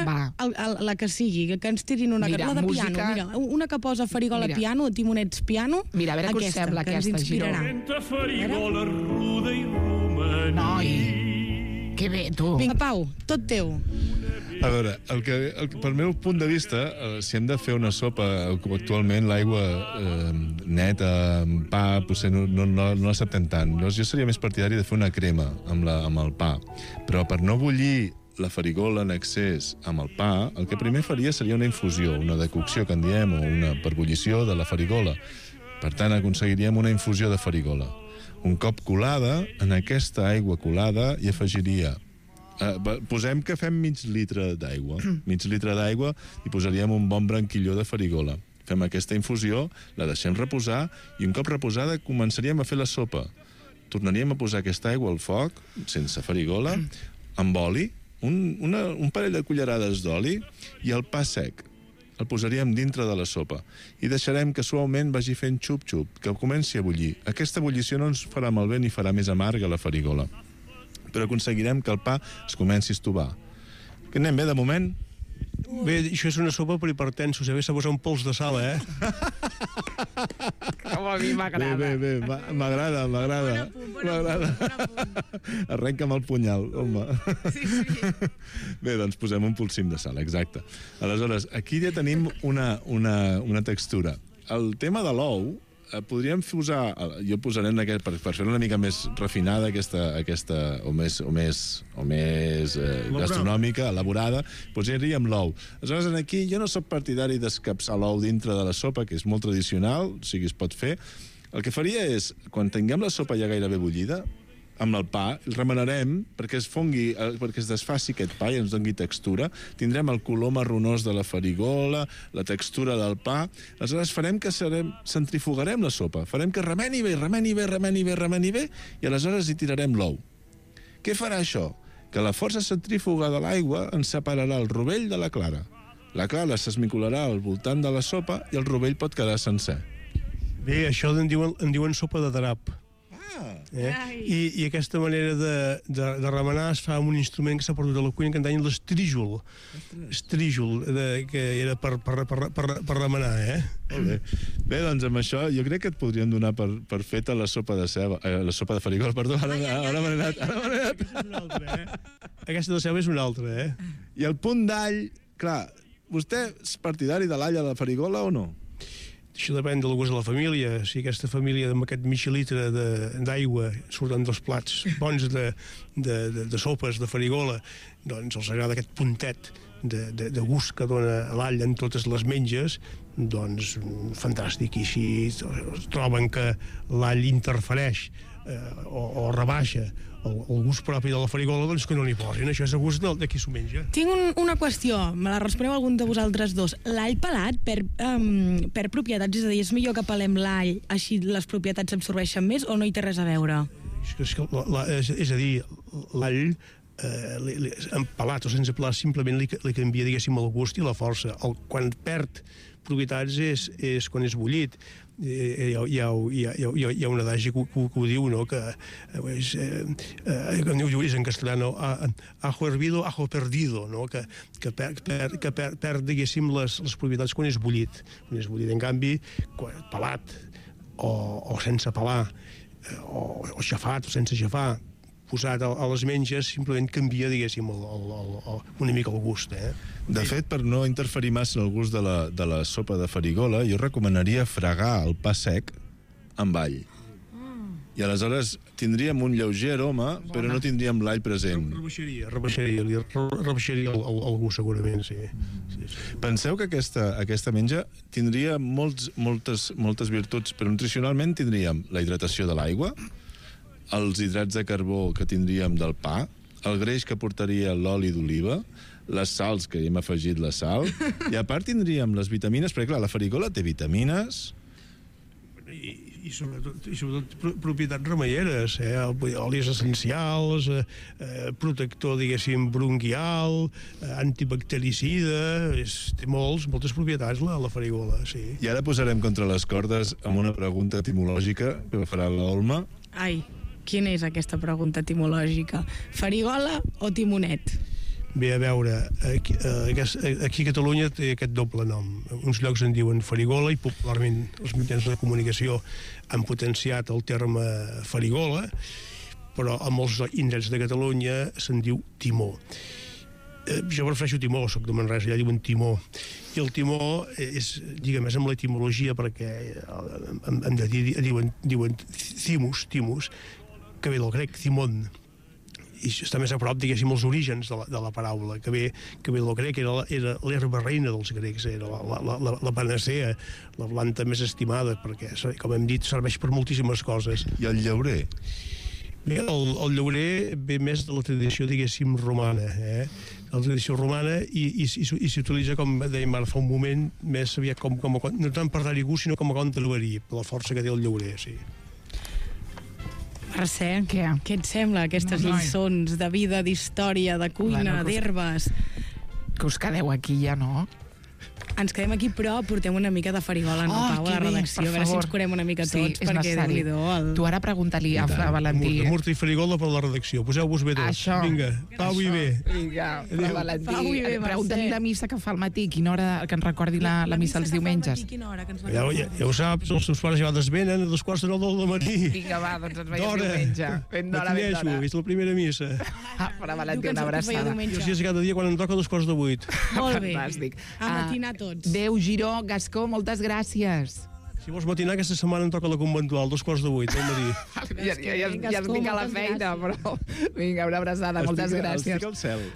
[SPEAKER 7] la que sigui, que ens tirin una...
[SPEAKER 1] Mira,
[SPEAKER 7] la de piano, mira, una que posa farigola piano, timonets piano.
[SPEAKER 1] Mira, a veure què us sembla aquesta, Giró.
[SPEAKER 10] Entre farigola ruda i romaní.
[SPEAKER 1] Noi, que bé, tu.
[SPEAKER 7] Vinga, Pau, tot teu.
[SPEAKER 8] A veure, pel meu punt de vista, si hem de fer una sopa, com actualment l'aigua neta, amb pa, potser no l'acceptem tant. Jo seria més partidari de fer una crema amb el pa. Però per no bullir la farigola en excés amb el pa, el que primer faria seria una infusió, una decocció, que en diem, o una perbullició de la farigola. Per tant, aconseguiríem una infusió de farigola. Un cop colada, en aquesta aigua colada hi afegiria... posem que fem mig litre d'aigua. Mig litre d'aigua i posaríem un bon branquilló de farigola. Fem aquesta infusió, la deixem reposar i un cop reposada començaríem a fer la sopa. Tornaríem a posar aquesta aigua al foc, sense farigola, amb oli, un parell de cullerades d'oli i el pa sec. El posaríem dintre de la sopa i deixarem que suaument vagi fent xup-xup, que comenci a bullir. Aquesta bullició no ens farà malbé ni farà més amarga la farigola, però aconseguirem que el pa es comenci a estovar. Que anem bé, de moment?
[SPEAKER 9] Bé, això és una sopa per hipertensos, s'ha posat un pols de sal,
[SPEAKER 1] Com a mi m'agrada.
[SPEAKER 8] Bé, m'agrada. Arrenca'm el punyal, home.
[SPEAKER 1] Sí.
[SPEAKER 8] Bé, doncs posem un polsim de sal, exacte. Aleshores, aquí ja tenim una textura. El tema de l'ou, podríem posar, jo posaré per fer-la una mica més refinada aquesta o més gastronòmica, elaborada, posaríem l'ou. Aleshores, aquí jo no soc partidari d'escapçar l'ou dintre de la sopa, que és molt tradicional, o sigui, es pot fer. El que faria és, quan tinguem la sopa ja gairebé bullida, amb el pa, el remenarem perquè es fongui, perquè es desfaci aquest pa i ens doni textura. Tindrem el color marronós de la farigola, la textura del pa. Aleshores farem que centrifugarem la sopa. Farem que remeni bé, i aleshores hi tirarem l'ou. Què farà això? Que la força centrífuga de l'aigua ens separarà el rovell de la clara. La clara s'esmicolarà al voltant de la sopa i el rovell pot quedar sencer.
[SPEAKER 9] Bé, això en diuen sopa de drap. I aquesta manera de remenar es fa amb un instrument que s'ha perdut a la cuina que en deien l'estríjol, que era per remenar,
[SPEAKER 8] Molt bé. Bé, doncs amb això jo crec que et podríem donar per feta la sopa de ceba, la sopa de farigola, perdó, ara m'he anat.
[SPEAKER 9] Aquesta de ceba és una altra,
[SPEAKER 8] I el punt d'all, clar, vostè és partidari de l'all a la farigola o no?
[SPEAKER 9] Això depèn del gust de la família. Si aquesta família amb aquest mig litre d'aigua surten dels plats bons de sopes, de farigola, doncs els agrada aquest puntet de gust que dona l'all en totes les menges, doncs fantàstic, i així troben que l'all interfereix o rebaixa el gust propi de la farigola, doncs que no n'hi posin. Això és el gust de qui s'ho menja.
[SPEAKER 7] Tinc una qüestió, me la responeu algun de vosaltres dos. L'all pelat perd propietats, és a dir, és millor que pelem l'all, així les propietats s'absorbeixen més, o no hi té res a veure?
[SPEAKER 9] És a dir, l'all pelat o sense pelar simplement li canvia, diguéssim, el gust i la força. Quan perd propietats és quan és bullit. Hi ha un adagi que ho diu, no? Que és en castellano ajo hervido, ajo perdido, no? Que perd, diguéssim, les propietats quan és bullit. Quan és bullit, en canvi, pelat o sense pelar, o xafat o sense xafar, posat a les menges, simplement canvia, diguéssim, una mica el gust.
[SPEAKER 8] De fet, per no interferir massa en el gust de la sopa de farigola, jo recomanaria fregar el pa sec amb all. I aleshores tindríem un lleuger aroma, però no tindríem l'all present.
[SPEAKER 9] Rebaixaria el gust, segurament, sí.
[SPEAKER 8] Penseu que aquesta menja tindria moltes virtuts, però nutricionalment tindríem la hidratació de l'aigua, els hidrats de carbó que tindríem del pa, el greix que portaria l'oli d'oliva, les sals, que hem afegit la sal, i a part tindríem les vitamines, perquè clar, la farigola té vitamines...
[SPEAKER 9] I sobretot propietats remeieres, olis essencials, protector, diguéssim, bronquial, antibactericida, té moltes propietats la farigola, sí.
[SPEAKER 8] I ara posarem contra les cordes amb una pregunta etimològica que farà l'Olma.
[SPEAKER 7] Ai, quina és aquesta pregunta etimològica? Farigola o timonet?
[SPEAKER 9] Bé, a veure, aquí a Catalunya té aquest doble nom. Uns llocs en diuen farigola i popularment els mitjans de comunicació han potenciat el terme farigola, però a molts indrets de Catalunya se'n diu timó. Jo prefereixo timó, soc de Manresa, allà diuen timó. I el timó és, diguem, és amb l'etimologia, perquè diuen timus, que ve del grec, timon, i està més a prop, diguéssim, els orígens de la paraula, que ve del grec, era l'herba reina dels grecs, era la panacea, la planta més estimada, perquè, com hem dit, serveix per moltíssimes coses.
[SPEAKER 8] I el llaurer?
[SPEAKER 9] Bé, el llaurer ve més de la tradició, diguéssim, romana, la tradició romana, i s'utilitza, com dèiem ara fa un moment, més aviat no tant per dar-hi gust, sinó com a contenverí, per la força que té el llaurer, sí.
[SPEAKER 7] Mercè, què et sembla, aquestes lliçons de vida, d'història, de cuina, d'herbes?
[SPEAKER 1] Que us quedeu aquí ja, no?
[SPEAKER 7] Ens quedem aquí, però portem una mica de farigola, no, Pau, a la redacció. A veure si ens curem una mica tots, perquè Déu-n'hi-do.
[SPEAKER 1] Tu ara pregunta-li a Valentí.
[SPEAKER 9] Murta i farigola per la redacció. Poseu-vos bé tots. Vinga, Pau i bé.
[SPEAKER 1] Vinga, Valentí. Pregunta-li la missa que fa al matí. Quina hora que ens recordi la missa els diumenges.
[SPEAKER 9] Ja ho saps, els seus pares ja desvenen a 2:45 del matí.
[SPEAKER 1] Vinga, va, doncs ens veiem diumenge. Ben d'hora, ben d'hora.
[SPEAKER 9] És la primera missa.
[SPEAKER 1] Per a Valentí, una abraçada.
[SPEAKER 9] Jo sí, cada dia quan em toca 7:45.
[SPEAKER 7] Molt bé.
[SPEAKER 1] Fantàstic.
[SPEAKER 7] A matinar tots.
[SPEAKER 1] Déu, Giró, Gascó, moltes gràcies.
[SPEAKER 9] Si vols matinar, aquesta setmana em toca la conventual, 2:45 del matí.
[SPEAKER 1] Ja estic a la feina, però... Vinga, una abraçada, moltes gràcies.
[SPEAKER 8] Estic al cel.